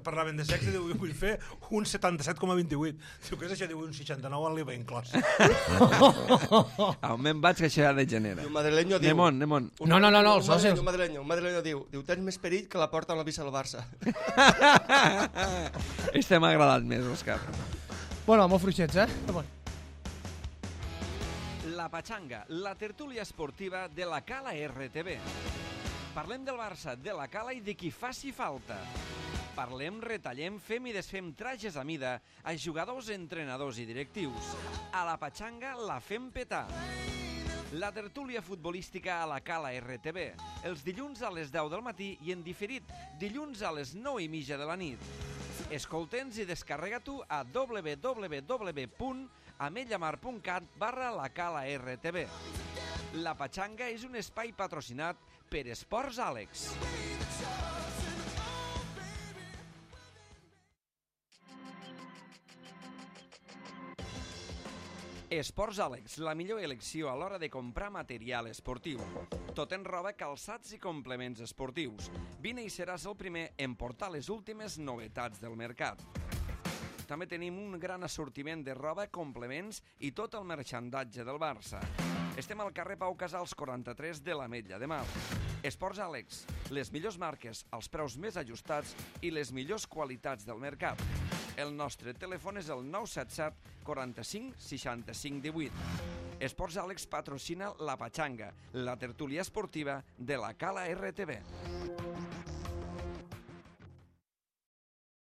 parlaven de sexe, diu, vull fer un 77,28. Diu, què és això? Diu, un 69 al l'IVA inclòs. Me'n vaig que això ja degenera. Un madrileño diu... Nemon. No, els socis. Un madrileño diu, tens més perill que la porta amb la vista del Barça. Este m'ha agradat més, Òscar. Bueno, molt fluixets, La Pachanga, la tertúlia esportiva de la Cala RTV. Parlem del Barça, de la Cala i de qui faci falta. Parlem, retallem, fem i desfem trajes a mida a jugadors, entrenadors i directius. A la Patxanga la fem petar. La tertúlia futbolística a la Cala RTV, els dilluns a les 10 del matí i en diferit, dilluns a les 9:30 de la nit. Escolta'ns i descarrega-t'ho a www.ametlllamar.cat/la Cala RTV. La Patxanga és un espai patrocinat per Esports Àlex. Esports Àlex, la millor elecció a l'hora de comprar material esportiu. Tot en roba, calçats i complements esportius. Vine i seràs el primer en portar les últimes novetats del mercat. També tenim un gran assortiment de roba, complements i tot el marxandatge del Barça. Estem al carrer Pau Casals 43 de l'Ametlla de Mar. Esports Àlex, les millors marques, els preus més ajustats i les millors qualitats del mercat. El nostre telèfon és el 977 45 65 18. Esports Àlex patrocina la Patxanga, la tertúlia esportiva de la Cala RTV.